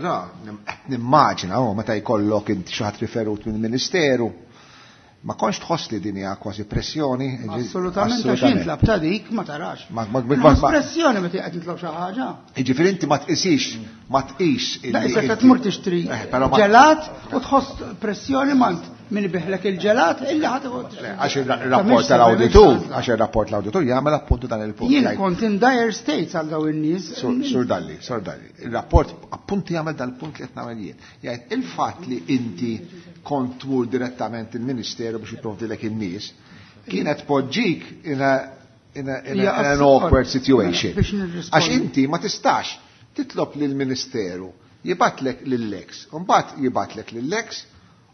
Ra, qed nimmaġina oh, meta jkollok inti xi ħadd riferut mill-Ministeru, ma kontx tħoss li din hija kważi pressjoni? Assolutament, għax jintlab ta' dik ma tarax. Ma- ma- ma- ma- Pressjoni meta qed nitlob xi ħaġa. Jiġifieri inti ma tqisix, ma tqis Da, illi issa inti- tmur tixtri Eh, però ma- ġelat u tħoss pressjoni mant min ibiħlek il-ġelat illi ħadd Le, għax il-rapport tal-auditur, għax il-rapport tal-auditur jagħmel appuntu dan il-punt. Jien Jgħid- kont in dire states għal daw in-nies. Sur Sur Dalli, Sur Dalli, il-rapport appuntu jagħmel dal-punt li qed nagħmel jien. Jgħid il-fatt li inti kont tmur direttament il-Ministeru biex jipprovdilek in-nies kienet poġġik in a in a, in a, Hija in an assu- awkward situation. Biex nirrispondi. Għax inti ma tistax titlob lill-Ministeru jibgħatlek lill-ex, u mbagħad jibgħatlek lill-ex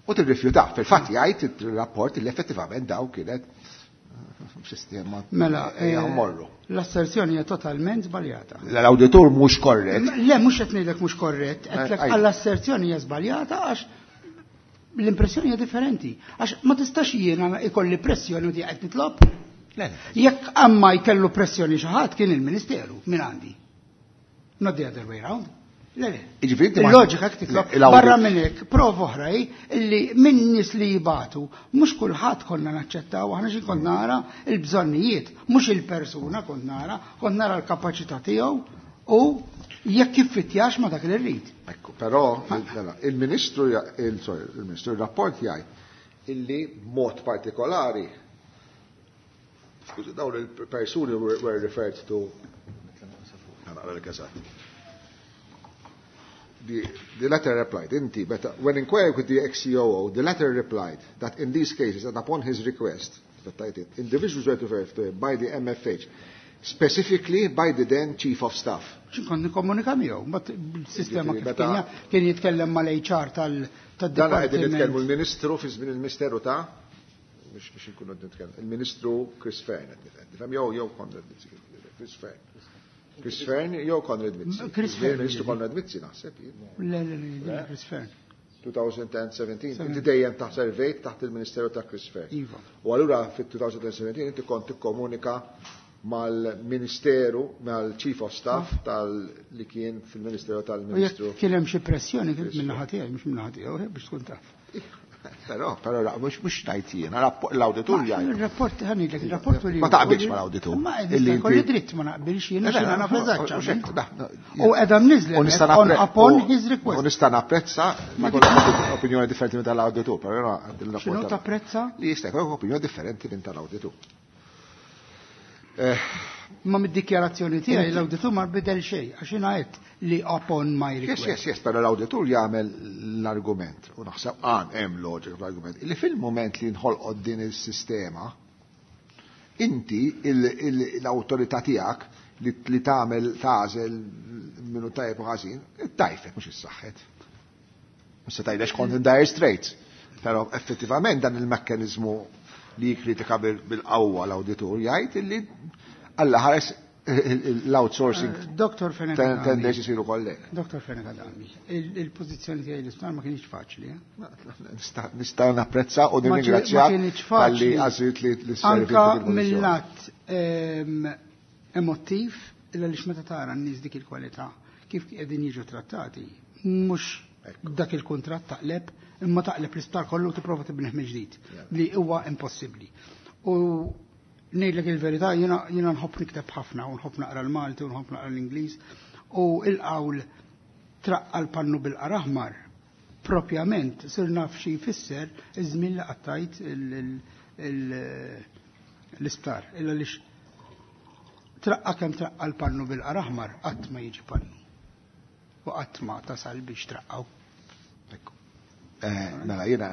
u tirrifjuta. Fil-fatt jgħid il-rapport li effettivament daw kienet eh, sistema Mela, ejja eh, mmorru. L-asserzjoni hija totalment żbaljata. L-auditur mhux korrett. Le, mhux qed ngħidlek mhux korrett, qedlek Eh, għall-asserzjoni hija żbaljata għax l-impressjoni hija differenti. Għax ma tistax jiena ikolli pressjoni u di qed nitlob. Le, le. Jekk amma jkellu pressjoni xi ħadd kien il-Ministeru minn għandi. Not the other way round. Le, le. Jiġifieri inti ma- Il-loġika jekk titlob. Le, il-audit- Barra minn hekk, prova oħra hi illi minn nies li jibatu, mhux kulħadd konna naċċettaw, aħna xi kont nara il-bżonnijiet, mhux il-persuna kont nara, kont nara l-kapaċità tiegħu u jekk jiffittjax ma dak li rrid. Ekku, però mela, il-Ministru, ja- il, sorry, il-Ministru, il-rapport jgħid illi mod partikolari, skużi, dawn il-persuni were, were referred to, naqra l-eżatt. The, the letter replied, inti, but when inquired with the ex-C O O, the letter replied that in these cases and upon his request, that I did, individuals were referred to him by the M F H, Specifically by the then Chief of Staff. Kont nikkomunika miegħu, mbagħad il-sistema Ġifieri kif meta- kien kien jitkellem mal-H R tal Dan qegħdin nitkellmu tad-dipartiment. l-Ministru fi żmien il-Ministeru ta' mhux biex inkunu qed nitkellmu. Il-Ministru Chris Fearne qed nifhem jew jew Konrad Mizzi, Chris Fearne. Chris Fearne jew Konrad Mizzi. Chris Żmien Fearne. Il-Ministru Konrad Mizzi naħseb jien. Le, le, le, Chris Fearne. twenty seventeen, inti dejjem taħt servejt taħt il-Ministeru ta' Chris Fearne. Iva. U allura fit-twenty seventeen inti kont tikkomunika mal-Ministeru, mal-Chief of Staff tal li kien fil-Ministeru U tal-Ministru. jekk kien hemm xi pressjoni kien minn naħa tiegħi, mhux minn naħa tiegħu, biex tkun taf. Però, però, mhux mhux ngħid jiena, l-awditur jgħid. Il-rapport, ħa ngħidlek, il-rapport li. Ma taqbilx mal-awditur. Ma Illi jista' jkolli inti- dritt ma naqbilx jiena Le, le, xina naf mhux eżatt. hekk, da, da, U qiegħda mniżżla U nista' on nappre- upon u- his request. U nista' napprezza li jkollok opinjoni differenti minn tal-awditur, però jiena il-rapport X'inhu tal- tapprezza? Li jista' jkollok opinjoni differenti minn tal-awditur. Ma mid-dikjarazzjoni tiegħi l-awditur ma bidel xejn, għax jiena għedt li upon my Yes, request. yes, yes, però l-awditur jagħmel l-argument, u naħseb għan hemm loġika fl-argument, li fil-moment li nħolqot din il-sistema, inti l-awtorità tiegħek li, li tagħmel tagħżel minnu tajjeb u ħażin, tajfet mhux issaħħet. Mhux se tgħidlex kont in dire straits. Però effettivament dan il-mekkaniżmu li jikkritika bil- bil-qawwa l-awditur jgħid illi Alla ħares l-outsourcing Doktor Fenech ten- Adami. tendenzi jsiru kollek. Doktor Fenech Adami, il-pożizzjoni tiegħi l-isptar ma kienx faċli, eh? Nista' nista' napprezza u Ma ġi- ma nirringrazzjak kienx talli faċli. għażilt li li sservi Anka f'dik il-pożizzjoni. mill-lat ehm, emottiv, illa lix meta tara n-nies dik il-kwalità, kif qegħdin jiġu trattati, mhux dak il-kuntratt taqleb, imma taqleb l-isptar kollu tipprova tibnih mill-ġdid, li huwa impossibbli. U ngħidlek il-verità, jiena jiena nħobb nikteb ħafna u nħobb naqra l-Malti u nħobb naqra l-Ingliż u il-qawl "traqqa l-pannu bil-qar aħmar" propjament sir naf xi jfisser iż-żmien li qattajt il- il- il- l-isptar. Illa lix traqqa kemm traqqa l-pannu bil-qar aħmar, qatt ma jiġi pannu. U qatt ma tasal biex traqqaw. Eh, Mela, jiena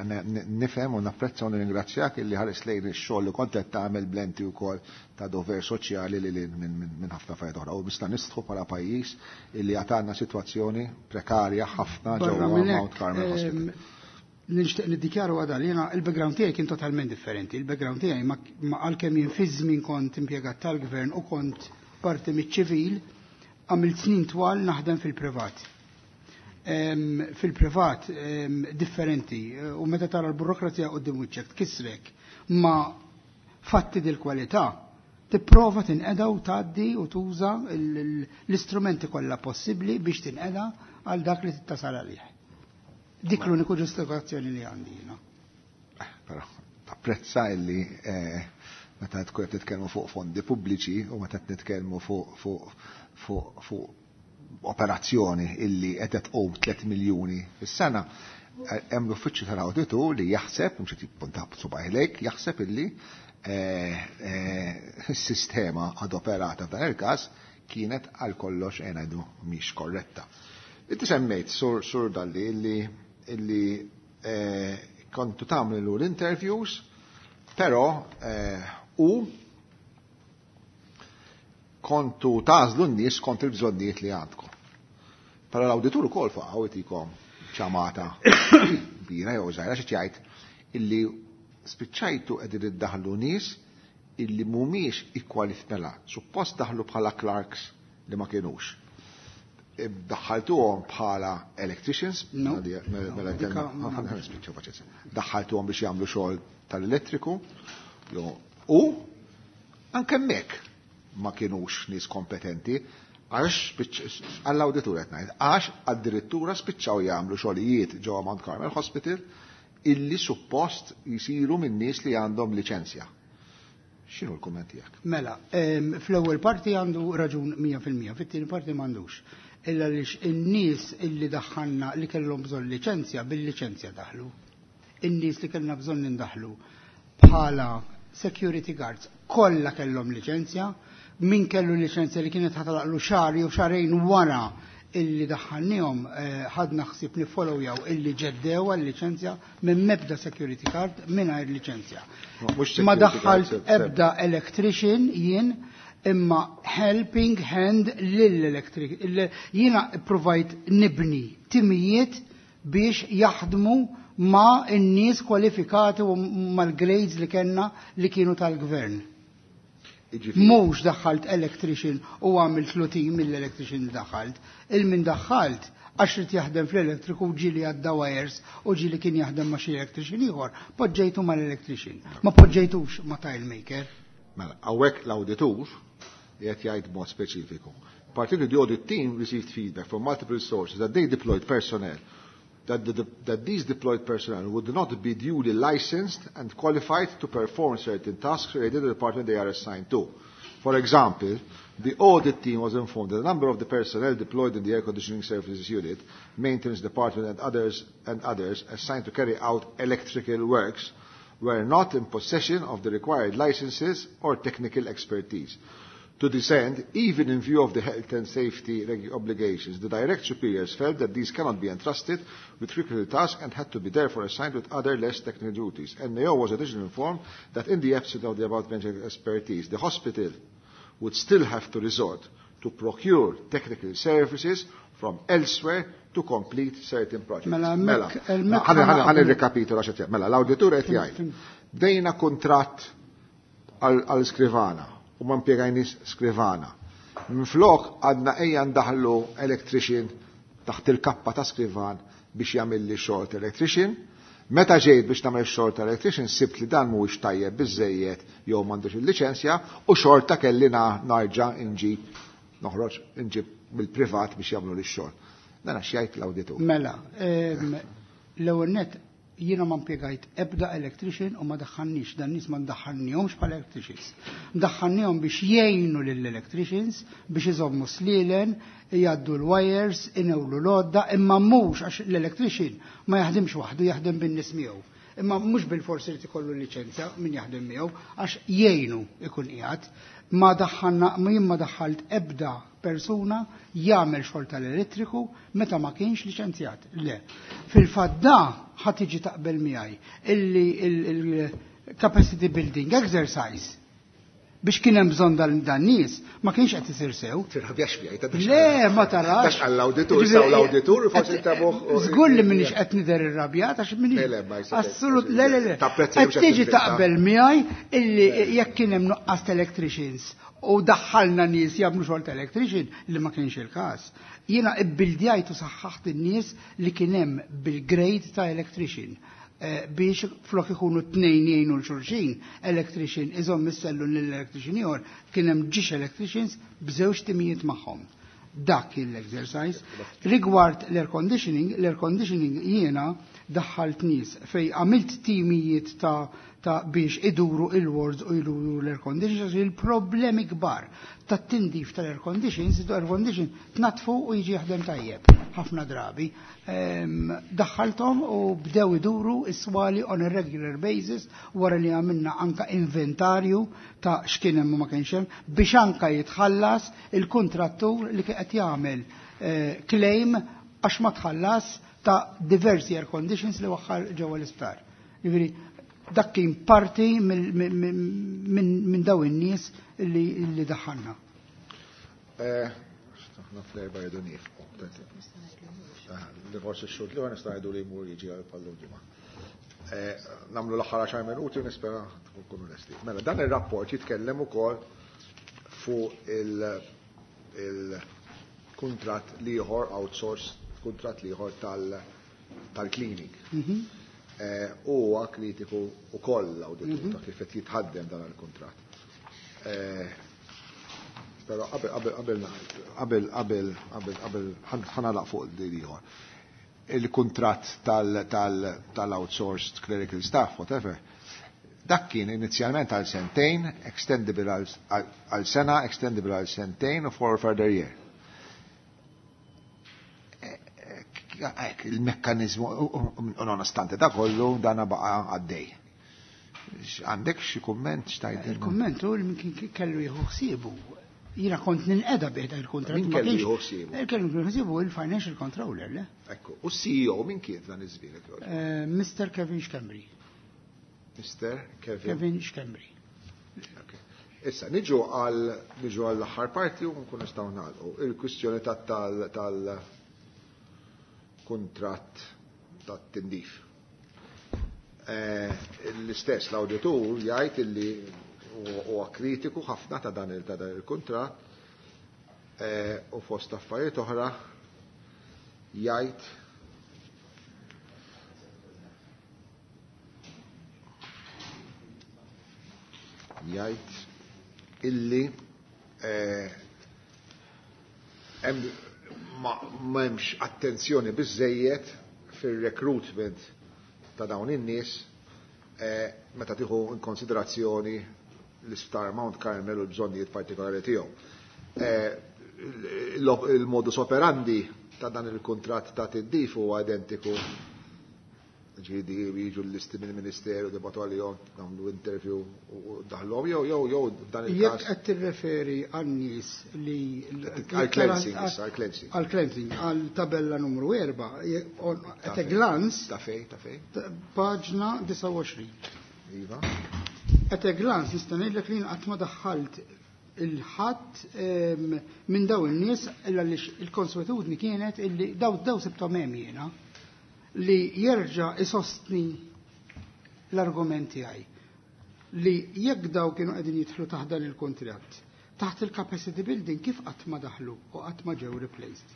nifhem u napprezza u nirringrazzjak illi ħares lejn ix-xogħol li kont qed tagħmel blenti wkoll ta' dover soċjali li lil minn minn ħafna affarijiet oħra. U nista' nistħu bħala pajjiż illi għatanna sitwazzjoni prekarja ħafna Barra ġewwa minn Mount hekk, Carmel Hospital. ehm, nixtieq niddikjaru għada li jiena il-background tiegħi kien totalment differenti. Il-background tiegħi ma ma għalkemm jien fi żmien kont impjegat tal-gvern u kont parti miċ-ċivil, għamilt snin twal naħdem fil-privat. Em, Fil-privat em, differenti u meta tara l-burokrazija quddiem wiċċek tkissrek, ma fatti dil-kwalità tipprova tinqeda u tgħaddi u tuża l- l- l-istrumenti kollha possibbli biex tinqeda għal dak li tittasal għalih. Dik l-uniku ġustifikazzjoni li għandi jiena. Però tapprezza illi eh, meta tkun qed titkellmu fuq fondi pubbliċi u meta qed nitkellmu fuq fuq fuq fuq operazzjoni illi qed tqum tliet miljuni fis-sena, eh, hemm l-uffiċċju tal-awditur li jaħseb, mhux qed jippunta subgħajh lejk, jaħseb illi eh, eh, s-sistema ad operata f'dan il-każ kienet għal kollox eh, ngħidu mhix korretta. Inti semmejt sur sur Dalli illi illi eh, kontu tagħmlu l-interviews, però eh, u kontu tagħżlu n-nies kont il-bżonnijiet li għandkom. Però l-awditur ukoll faqgħu jtikom ċamata kbira jew żgħira xi jgħid illi spiċċajtu qegħdin iddaħlu nies illi mhumiex ikkwalifikati. Suppost daħlu bħala clerks li ma kienux. Daħħaltuhom bħala electricians, No. mela mela No, dika ma nafx. nispiċċaw paċenzja. Daħħaltuhom biex jagħmlu xogħol tal-elettriku, jo- u anke hemmhekk ma kienux nies kompetenti, għax spiċ- għall-awditur qed ngħid, għax addirittura spiċċaw jagħmlu xogħlijiet ġewwa Mount Carmel Hospital illi suppost jisiru minn nies li għandhom liċenzja. X'inhu l-kumment tiegħek? Mela, em, fl-ewwel parti għandu raġun mija fil-mija, fit-tieni parti m'għandux. Illa lix in-nies illi daħħalna li kellhom bżonn liċenzja, bil-liċenzja daħlu. In-nies li kellna bżonn nindaħlu bħala security guards kollha kellhom liċenzja, min kellu liċenzja li kienet ħa tagħlaqlu xahar jew xahrejn wara illi daħħalnihom, eh, ħadna ħsieb nifollowjaw illi ġeddew għal-liċenzja minn mebda security guard mingħajr liċenzja. Mhux Ma security daħħalt guard, se- ebda electrician jien Imma helping hand lill-electric. Jiena provajt nibni timijiet biex jaħdmu ma' n-nies kwalifikati u mal-grades li kellna li kienu tal-gvern. Mhux daħħalt electrician u għamilt team mill-electrician li daħħalt. Il-min daħħalt għax rid jaħdem fl-elettriku ġieli għadda wires u ġieli kien jaħdem ma' xi electrician ieħor, poġġejtu mal-electrician. Ma poġġejtux ma' tile maker. Mela, hawnhekk l-awditur qed jgħid mod speċifiku. Particularly the audit team received feedback from multiple sources that they deployed personnel, that, the, that these deployed personnel would not be duly licensed and qualified to perform certain tasks related to the department they are assigned to. For example, the audit team was informed that a number of the personnel deployed in the air conditioning services unit, maintenance department and others, and others assigned to carry out electrical works were not in possession of the required licenses or technical expertise. To this end, even in view of the health and safety obligations, the direct superiors felt that these cannot be entrusted with critical tasks and had to be therefore assigned with other less technical duties. N A O was additionally informed that in the absence of the above-mentioned expertise, the hospital would still have to resort to procure technical services from elsewhere to complete certain projects. Mela, mela, ħa nirrikapitola x'qed jgħid. Mela, l-awditur qed jgħid. Bdejna kuntratt għal skrivana u ma impjegajniex skrivana. Minflok għadna ejja ndaħlu electrician taħt il-kappa ta' skrivan biex jagħmel li xogħol electrician. Meta ġejt biex nagħmel xogħol ta' electrician sibt li dan mhuwiex tajjeb biżejjed jew m'għandux il-liċenzja u xorta kelli narġa' inġib noħroġ inġib mill-privat biex jagħmlu li x-xogħol. Dan għax jgħid l-awditur. Mela, l-ewwel nett jiena ma impjegajt ebda electrician u ma daħħalniex, dan nies ma ndaħħalnihomx bħala electricians. Ndaħħalnihom biex jgħinu lill-electricians biex iżommu slielen, jgħaddu l-wires, inewlu l-għodda, imma mhux għax l-electrician ma jaħdimx waħdu, jaħdem bin-nies miegħu. Imma mhux bil-forsi li ikollu liċenzja min jaħdem miegħu għax jgħinu ikun qiegħed. Ma daħħalna, ma jien ma daħħalt ebda persuna jagħmel xogħol tal-elettriku meta ma kienx liċenzjat. Le. Fil-fatt da ħadd tiġi taqbel miegħi illi il-capacity building exercise biex kien hemm bżonn dan nies ma kienx qed isir sew. Tirrabjax miegħi ta' Le, ma tarax. Tax għall-awditur, saw l-awditur forsi tabuh. Żgur li m'iniex qed nidher irrabjat għax m'iniex. Assolut, le le le. Qed tiġi taqbel miegħi illi jekk kien hemm nuqqas electricians u daħħalna nies jagħmlu xogħol ta' electrician li ma kienx il-każ. Jiena ibbildjajt u saħħaħt in-nies li kien hemm bil-grade ta' electrician biex flok ikunu tnejn jgħinu l-xulxin, electrician iżomm issellu lill-electrician ieħor, kien hemm ġiex electricians b'żewġ timijiet magħhom. Dak kien l-exercise. Rigward l-air conditioning, l-air conditioning jiena daħħalt nies fej għamilt timijiet ta' ta' biex iduru il-wards u iduru l-air conditioners, il-problemi kbar ta' tindif tal-air conditions, l-air condition tnatfu u jiġi jaħdem tajjeb ħafna drabi. Daħħalthom u bdew iduru is-swali on a regular basis wara li għamilna anka inventarju ta' x'kien hemm u ma kienx hemm biex anka jitħallas il-kontrattur li qed jagħmel claim għax ma tħallas ta' diversi air conditions li waħħal ġewwa l-isptar. Jiġifieri dak kien parti minn daw in-nies li daħħalna. Aħna fl-erba' jgħidu niefqu. Forsi x-xhur li nista' ngħidu li jmur jiġi għal pallu ġimgħa. Nagħmlu l-aħħar għaxar minuti u nispera tkunu lesti. Mela dan ir-rapport jitkellem ukoll fuq il-kuntratt l-ieħor outsource, kuntratt l-ieħor tal-cleaning. Huwa kritiku wkoll l-awditur ta' kif qed jitħaddem dan il-kuntratt. Però qabel qabel qabel qabel qabel qabel ħanalaq fuq din ieħor. Il-kuntratt tal-outsourced clerical staff, whatever, dak kien inizjalment għal sentejn, extendable għal sena, extendable għal sentejn u for a further year. Il-mekkanizmu, u nonostante da kollu, dana baqa għaddej. Għandek xi kumment x'tgħidilna? Il-kumment hu li min kellu jieħu ħsiebu. Jiena kont ninqeda bih dak il-kuntratt. Min kellu jieħu ħsiebu? Kellu jieħu ħsiebu il-financial controller, le? Ekku, u C E O min kien f'dan iż-żmien? Mister Kevin Schembri. Mister Kevin? Kevin Schembri. Okay. Issa, niġu għal niġu għall aħħar parti u nkun nistgħu nagħlqu. Il-kwistjoni tal-kuntratt tat-tindif. L-istess l-awditur jgħid illi huwa kritiku ħafna ta' dan il-kuntratt u fost affarijiet oħra jgħid jgħid illi m'hemmx attenzjoni biżżejjed fir-recruitment ta' dawn in-nies meta tieħu in konsiderazzjoni l-Isptar Mount Carmel u l-bżonnijiet partikolari tiegħu. Il-modus operandi ta' dan il-kuntratt ta' tindif huwa identiku, ġifieri jiġu l-listi mill-Ministeru, debatu għalihom, nagħmlu interview u daħlhom jew jew jew f'dan il-każ. Jekk qed tirreferi għan-nies li għal cleansing issa, għal cleansing. Għal cleansing, għal tabella numru erba', at a glance. Ta' fej, ta' fej. Paġna disgħa u għoxrin. Iva. At a glance nista' ngħidlek li qatt ma daħħalt il-ħadd minn daw in-nies illa li il-konswetudni kienet illi daw daw sibthom hemm jiena li jerġa' isostni l-argument tiegħi li jekk daw kienu qegħdin jidħlu taħt dan il-kuntratt, taħt il-capacity building kif qatt ma daħlu u qatt ma ġew replaced.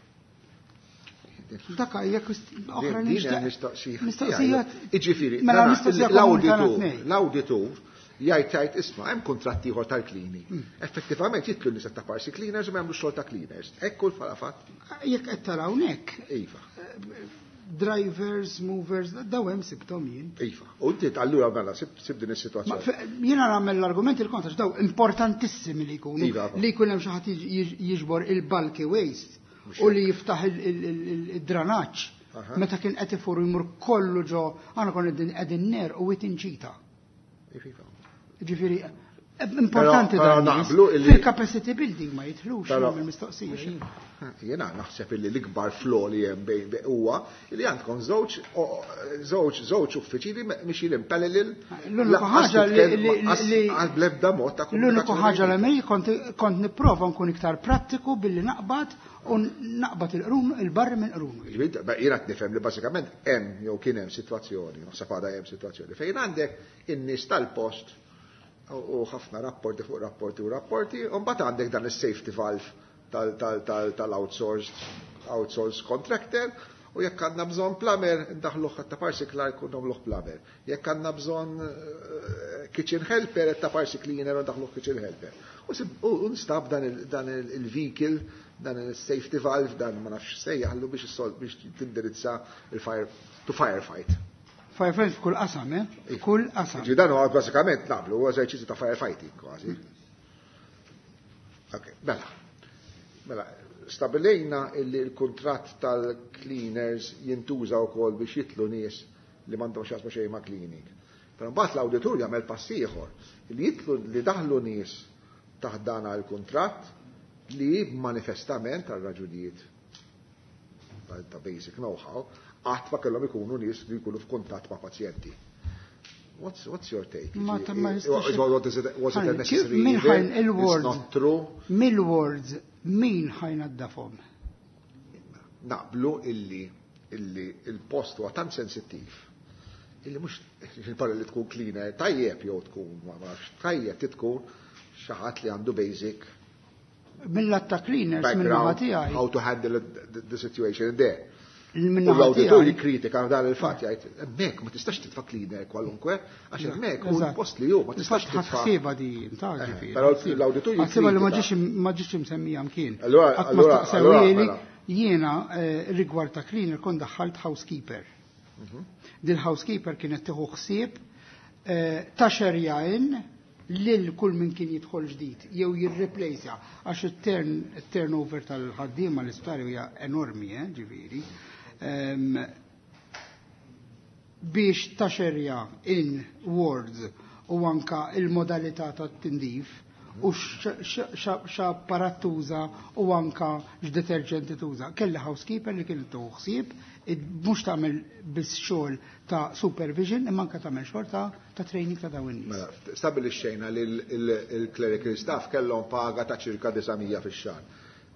Dak hija oħra mistoqsija. Mistoqsija. Jiġifieri, Mela mistoqsija l-awditur, l-awditur jgħid jgħid isma' hemm kuntratt ieħor tal-cleaning. Effettivament jitlu n-nies ta' parsi cleaners u ma jagħmlu xogħol ta' cleaners. Hekk kull bħala fatt. Jekk qed tara hawnhekk. Iva. Drivers, movers, daw hemm sibthom jien. Iva. U inti allura mela sib din is-sitwazzjoni. Jiena nagħmel l-argument il-kontra daw importantissimi li jkunu li jkun hemm xi ħadd jiġbor il-bulky waste u li jiftaħ il-dranaġġ. Meta kien qed ifur jmur kollu ġo, aħna konna qegħdin ner u inċita. Ġifieri importanti dan. Fil-capacity building ma jidħlux mill-mistoqsija. Jiena naħseb illi l-ikbar flaw li hemm bejn huwa li għandkom żewġ żewġ żewġ uffiċini mixjin in parallel. L-unika ħaġa li bl-ebda mod ta' L-unika ħaġa li mej kont nipprova nkun iktar prattiku billi naqbad u naqbad il-qrun il-barri minn qrun. Jiena qed nifhem li bażikament hemm jew kien hemm sitwazzjoni, naħseb għadha hemm sitwazzjoni fejn għandek in-nies tal-post u ħafna rapporti fuq rapporti u rapporti, u mbagħad għandek dan is-safety valve tal-outsourced outsourced contractor, u jekk għandna bżonn plumber, ndaħluh ta' parsi Clark u nagħmluh plumber. Jekk għandna bżonn kitchen helper, ta' parsi cleaner u ndaħluh kitchen helper. U nstab dan il-vehicle, dan il-safety valve, dan ma nafx sejjaħlu biex biex tindirizza il-fire to firefight. Firefight f'kull qasam, eh? F'kull qasam. Ġi dan huwa bażikament naqblu, huwa eżerċizzju ta' firefighting kważi. Ok, mela. Mela, stabilejna illi l-kuntratt tal-cleaners jintuża wkoll biex jitlu nies li m'għandhom x'jaqsmu xejn ma' cleaning. Però mbagħad l-awditur jagħmel pass ieħor li jitlu li daħlu nies taħt dan għall-kuntratt li manifestament għal raġunijiet ta' basic know-how qatt ma kellhom ikunu nies li jkunu f'kuntatt ma' pazjenti. What's, what's your take? Ma ta' ma jistax. Was it a necessary Min evil? ħajn il-words. It's not true. Mill-words, min ħajn għaddafhom? Naqblu illi, illi il-post huwa tant sensittiv illi mhux il-parla li tkun cleaner tajjeb jew tkun ma nafx tajjeb tkun xi ħadd li għandu basic Mill-lat ta' cleaners minn naħa background tiegħi. how to handle the, the situation there. Minn U naħa l-awditur tiegħi. jikkritika dan il-fatt jgħid hemmhekk ma tistax titfa' cleaner kwalunkwe għax hemmhekk hu Eżatt. l-post li hu ma tistax Infatti titfa'. ħassieba di, ta' Eh, ġifieri. Però l-awditur Ħassieba li ma jikkritika. ġiex ma ġiex imsemmija mkien. Allura, Qatt ma allura, staqsewhieli, allura, mela. jiena eh, rigward ta' cleaner kont daħħalt housekeeper. Mhm. Dil housekeeper kienet tieħu ħsieb eh, ta' xerjajn lil kull min kien jidħol ġdid jew jirreplejsja għax it-turnover tal-ħaddiema l-isptar hija enormi, eh, ġifieri. Ehm, biex taxerja in wards u anka il-modalità tat-tindif u x'apparat tuża u anka x'deterġenti tuża. Kelli housekeeper li kienet tieħu ħsieb, mhux tagħmel biss xogħol ta' supervision imma anka tagħmel xogħol ta' ta' training ta' dawn in-nies. Mela, stabilixxejna li l-clerical staff kellhom paga ta' ċirka disa' mija fix-xahar.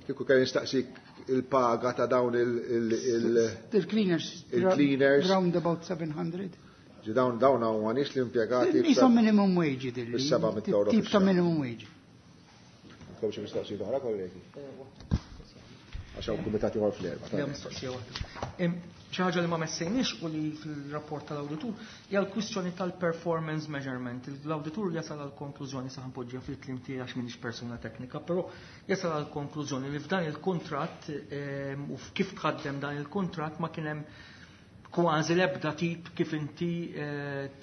Kieku kelli nistaqsik il-paga ta' dawn il- Il-cleaners. Il-cleaners. Round about seven hundred. Ġi dawn dawn huma nies li impjegati Isom minimum wage dilli. Bis-seba' mitt euro Tip ta' fix-xahar. minimum wage. Għandkom xi mistoqsijiet oħra, kollegi? Għax hawn kumitat ieħor fl-erba'. Le, mistoqsija waħda. Xi ħaġa li ma messejniex u li fil-rapport tal-awditur hija l-kwistjoni tal-performance measurement. L-awditur jasal għal konklużjoni, sa ħanpoġġiha fil-kliem tiegħi għax m'iniex persuna teknika, però jasal għal konklużjoni li f'dan il-kuntratt u kif tħaddem dan il-kuntratt ma kien hemm kważi l-ebda tip kif inti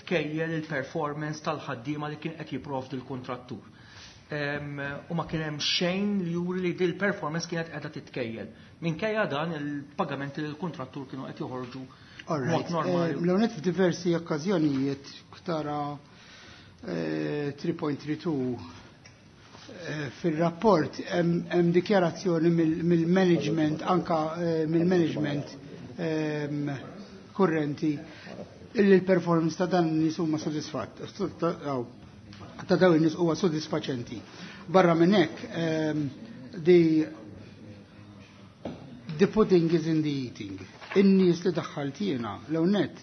tkejjel il-performance tal-ħaddiema li kien qed jipprovdi l-kuntrattur. U ma kien hemm xejn li juri li dil performance kienet qiegħda titkejjel. Minkejja dan il-pagamenti li l-kuntrattur kienu qed joħorġu All mod right. normali. Eh, L-għonet f'diversi okkażjonijiet tara eh, three point three two eh, fil-rapport hemm hemm dikjarazzjoni mill-, mill-management, anka, eh, mill-management, ehm, kurrenti illi l-performance ta' dan nies huma sodisfatt, ta' dawn in-nies huwa sodisfaċenti. Barra minn hekk, ehm, the, the pudding is in the eating. In-nies li daħħalt jiena l-ewwel nett,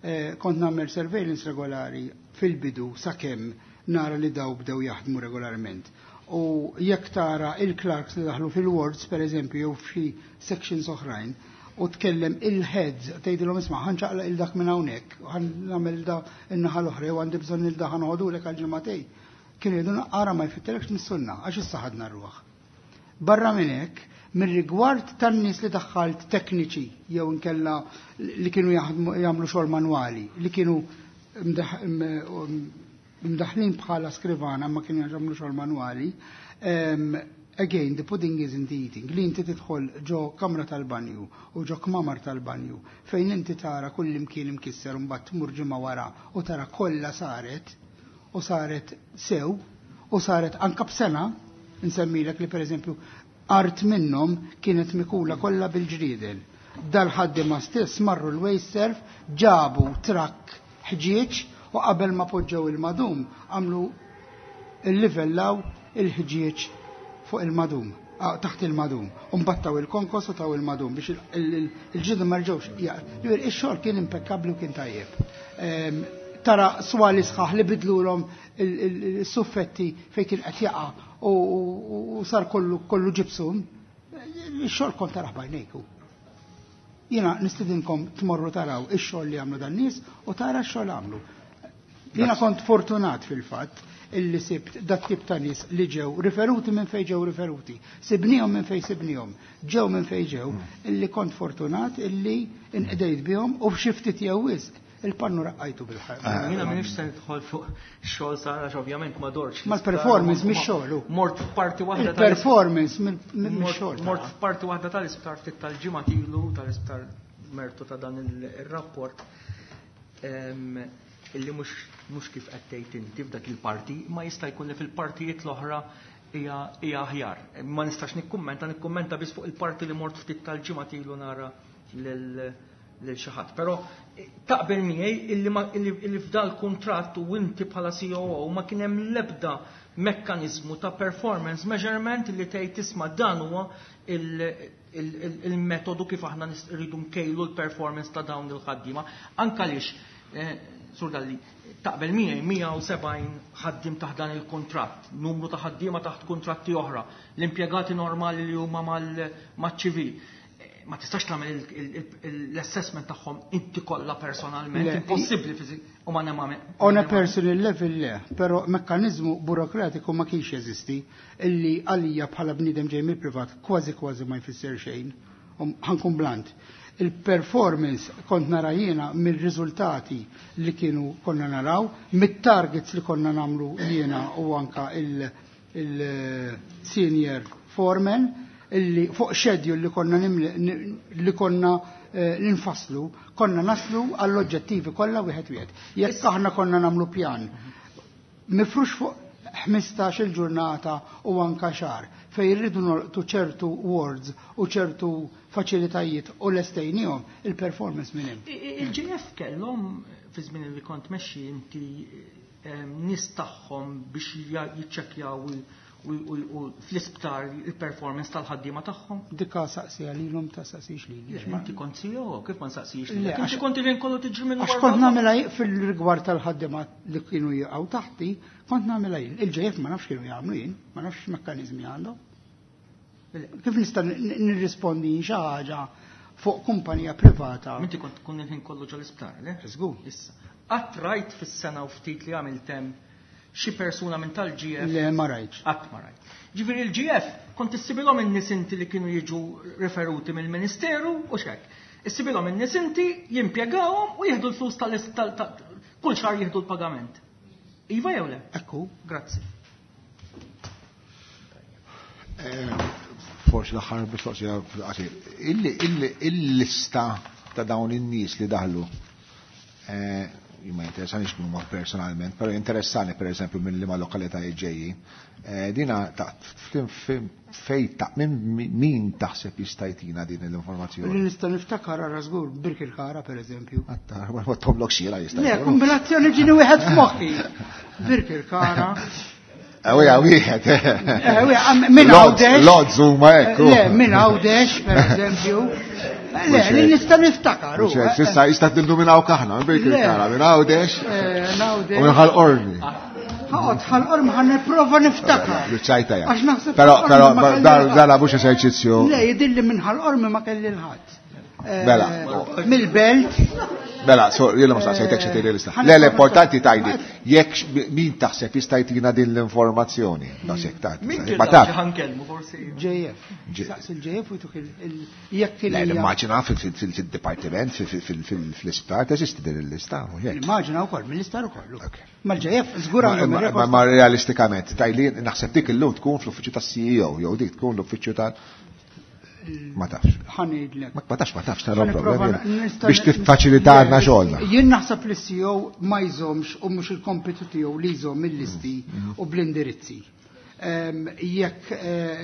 eh, kont nagħmel surveillance regolari fil-bidu sakemm nara li daw bdew jaħdmu regolarment. U jekk tara il-clerks li daħlu fil-wards, per eżempju, jew f'xi sections oħrajn, u tkellem il-heads, tgħidilhom isma' ħa nċaqlaq il dak minn hawnhekk, ħa nagħmel da in-naħa l-oħra, jew għandi bżonn il da ħa noħodulek għal ġimagħtejn. Kienu jgħidulna ara ma jfittilekx nissunna, għax issa ħadna r-ruħ. Barra minn hekk, mir-rigward tan-nies li daħħalt tekniċi jew inkella li kienu jaħdmu, jagħmlu xogħol manwali, li kienu mdaħ-, m-, mdaħlin bħala skrivana ma kienu jagħmlu xogħol manwali, em, again, the pudding is in the eating. Li inti tidħol ġo kamra tal-banju u ġo kmamar tal-banju fejn inti tara kull imkien imkisser u mbagħad tmur ġimgħa wara u tara kollha saret u saret sew u saret anka b'sena, nsemmilek li pereżempju art minnhom kienet mikula kollha bil-ġrieden. Dal-ħaddiema stess marru l-WasteServ, ġabu trakk ħġieġ u qabel ma poġġew il-madum għamlu il-livellaw il-ħġieġ fuq il-madum, ah, taħt il-madum, u mbattaw il-konkos u taw il-madum biex il-, il-, il-, il-ġidem ma rġewx. Ja, ġifieri, ix-xogħol kien impeccabli u kien tajjeb. Ehm, tara swali sħaħ li bidlulhom il-, il-, il-suffetti fejn kien qed jaqa' u, u, u sar kollu, kollu ġibsum. Ix-xogħol kont taraħ bajnejku. Jiena nistidinkom tmorru taraw ix-xogħol li għamlu dan nies u tara x-xogħol għamlu. Jiena kont fortunat fil-fatt illi sibt dat tip ta' nies li ġew riferuti minn fejn ġew riferuti, sibnihom minn fejn sibnihom, ġew minn fejn ġew, illi kont fortunat illi inqdejt bihom u f'xi ftit jew wisq il-pannu raqqajtu bil-ħajja. Ah, Jiena m'iniex se nidħol fuq xogħol sar għax ovvjament ma dorx. Ma l-performance mhix xogħol. Mort f'parti waħda tal- Il-performance mhix Mort- xogħol. Mort f'parti waħda tal-isptar ftit tal-ġimgħa ilu tal-isptar mertu ta' dan il-rapport. Em, illi mhux, mhux kif qed tgħid inti f'dak il-parti, ma jista' jkun li fil-partijiet l-oħra hija, hija aħjar. Ma nistax nikkummenta, nikkummenta biss fuq il-parti li mort ftit tal-ġimgħa ilu nara lil lil xi ħadd. Però taqbel miegħi illi ma, illi, illi f'dal kuntratt u inti bħala C O O ma kien hemm l-ebda mekkaniżmu ta' performance measurement li tgħid tisma' dan huwa il-, il-, il-, il-metodu kif aħna nis-, rridu nkejlu l-performance ta' dawn il-ħaddiema. Anke għaliex, eh, Sur Dalli, taqbel miegħi mija u sebgħin ħaddiem taħt dan il-kuntratt, numru ta' ħaddiema taħt kuntratti oħra, l-impjegati normali li huma mal-, maċ-ċivil. Ma tistax tagħmel il-, il-, il-, l-assessment tagħhom inti kollha personalment, Le, impossibbli fiżik u ma nema- On a personal level le, però mekkaniżmu burokratiku ma kienx jeżisti illi għalija bħala bniedem ġej mill-privat kważi kważi ma jfisser xejn. Um, ħa nkun blunt. Il-performance kont nara jiena mill-riżultati li kienu konna naraw, mit-targets li konna namlu jiena u anka il-, il-senior foreman, illi fuq schedule li konna nimli, ni-, li konna, eh, ninfasslu, konna naslu għall-oġġettivi kollha wieħed wieħed. Jekk aħna konna namlu pjan mifrux fuq ħmistax il-ġurnata u anka xahar fejn irridu nolqtu ċertu wards u ċertu faċilitajiet u lestejnihom il-performance minn hemm. Il-G F kellhom fi żmien li kont mexxi inti nies tagħhom biex jiċċekkjaw u fl-isptar il-performance tal-ħaddiema tagħhom? Dikka saqsija lilhom, ta' saqsix lili. Inti kont C E O, kif ma nsaqsix lilek? Inti kont il kollu tiġri minn Għax kont nagħmilha fil-rigward tal-ħaddiema li kienu jaqgħu taħti, kont nagħmilha jien. Il-G F ma nafx kienu jagħmlu jien, ma nafx mekkaniżmi għandhom. Kif nista' nirrispondi xi ħaġa fuq kumpanija privata? Inti kont tkun il-ħin kollu ġol-isptar, le? Żgur. Issa. Qatt rajt fis-sena u ftit li għamilt hemm xi persuna minn tal-G F? Le, ma rajtx. Qatt ma rajt. Ġifieri il-G F kont issibilhom in-nies inti li kienu jiġu referuti mill-Ministeru u xek. Issibilhom in-nies inti, jimpjegawhom u jieħdu l-flus tal kull xahar, jieħdu l-pagament. Iva jew le? Ekku. Grazzi. Forsi l-aħħar mistoqsija fil-qasir. Il-lista ta' dawn in-nies li daħlu, ma jinteressanix huma personalment, però interessani per eżempju minn liema lokalitajiet ġejjin. Dina ta' fej ta' min taħseb jista' jtina din l-informazzjoni? Li nista' niftakar ara żgur Birkirkara, per eżempju. Ma tomlok xira jista' Le, kombinazzjoni ġini wieħed f'moħħi. Birkirkara. Ewja, wieħed. Minn Għawdex. Lodz huma hekk. Le, minn Għawdex, per eżempju. Le, li nista' niftakar. Sissa jista' tildu minn hawn kaħna, minn Birkirkara, minn Għawdex. U minn Ħal Qormi. Ħaqot, Ħal Qormi ħan nipprova niftakar. Ċajta ja. Però, però, dan mhux eżerċizzju. Le, jidilli minn Ħal Qormi ma kelli l-ħadd. Mela. Mill-belt. Mela, so, jiena ma saqsejtek xi tgħidli lista. Le, l-importanti tajdi, jekk min taħseb jista' jtina din l-informazzjoni. Daqshekk ta' Min ma taf. Ħankellmu forsi. J F. Saqs il-J F u jtuk jekk Le, l-immaġina fil-dipartiment, fil-isptar, teżisti din il-lista. Immaġina wkoll, mill-isptar ukoll. Mal-J F żgur għandhom. Ma ma realistikament, tajli naħseb dik illum tkun fl-uffiċċju tas-C E O, jew dik tkun l-uffiċċju tal. Ma tafx. Ħa ngħidlek. Ma tafx, ma tafx, ta' problem. Biex tiffaċilitalna xogħolna. Jien naħseb li C E O ma jżomx u mhux il-kompitu tiegħu li jżomm il-listi u bl-indirizzi. Jekk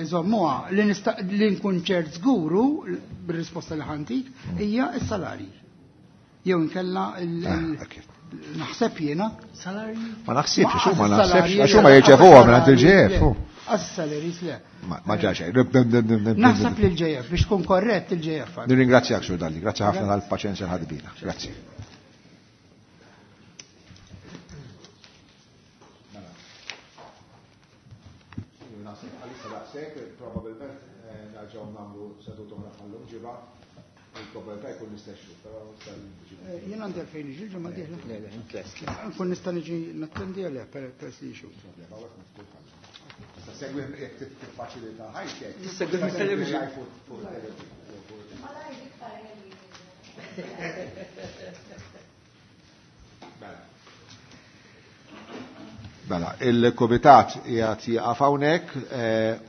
iżommuha, li nista' li nkun ċert żguru bir-risposta li ħantik hija s-salari. Jew inkella naħseb jiena. Salari? Ma naħsibx, xu ma naħsebx, għax huma jirċevuha minn il-G F. Għas-salaries le. Ma ġaxej. Naħseb li l-J F, biex tkun korrett, il-J F. Nirringrazzjak, Sur Dalli, grazzi ħafna tal-paċenzja ħadbina. Grazzi. Probabilment nerġgħu nagħmlu seduta oħra bħallum ġimgħa, il-probabilità jkun l-istess, però Jien għandi għalfejn niġi ġimgħa dieħla. Le, le, intlest. Nkun nista' niġi nattendi għalih peress li xu. Segwi jekk tiffaċilita ħajtek. Tissegwi mit-television. Fuq il-television. Mela. Mela, il-komitat jgħat jaqaf hawnhekk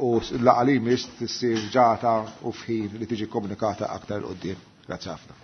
u l-laqgħa li jmiss tissir ġata u f'ħin li tiġi komunikata aktar 'il quddiem. Grazzi ħafna.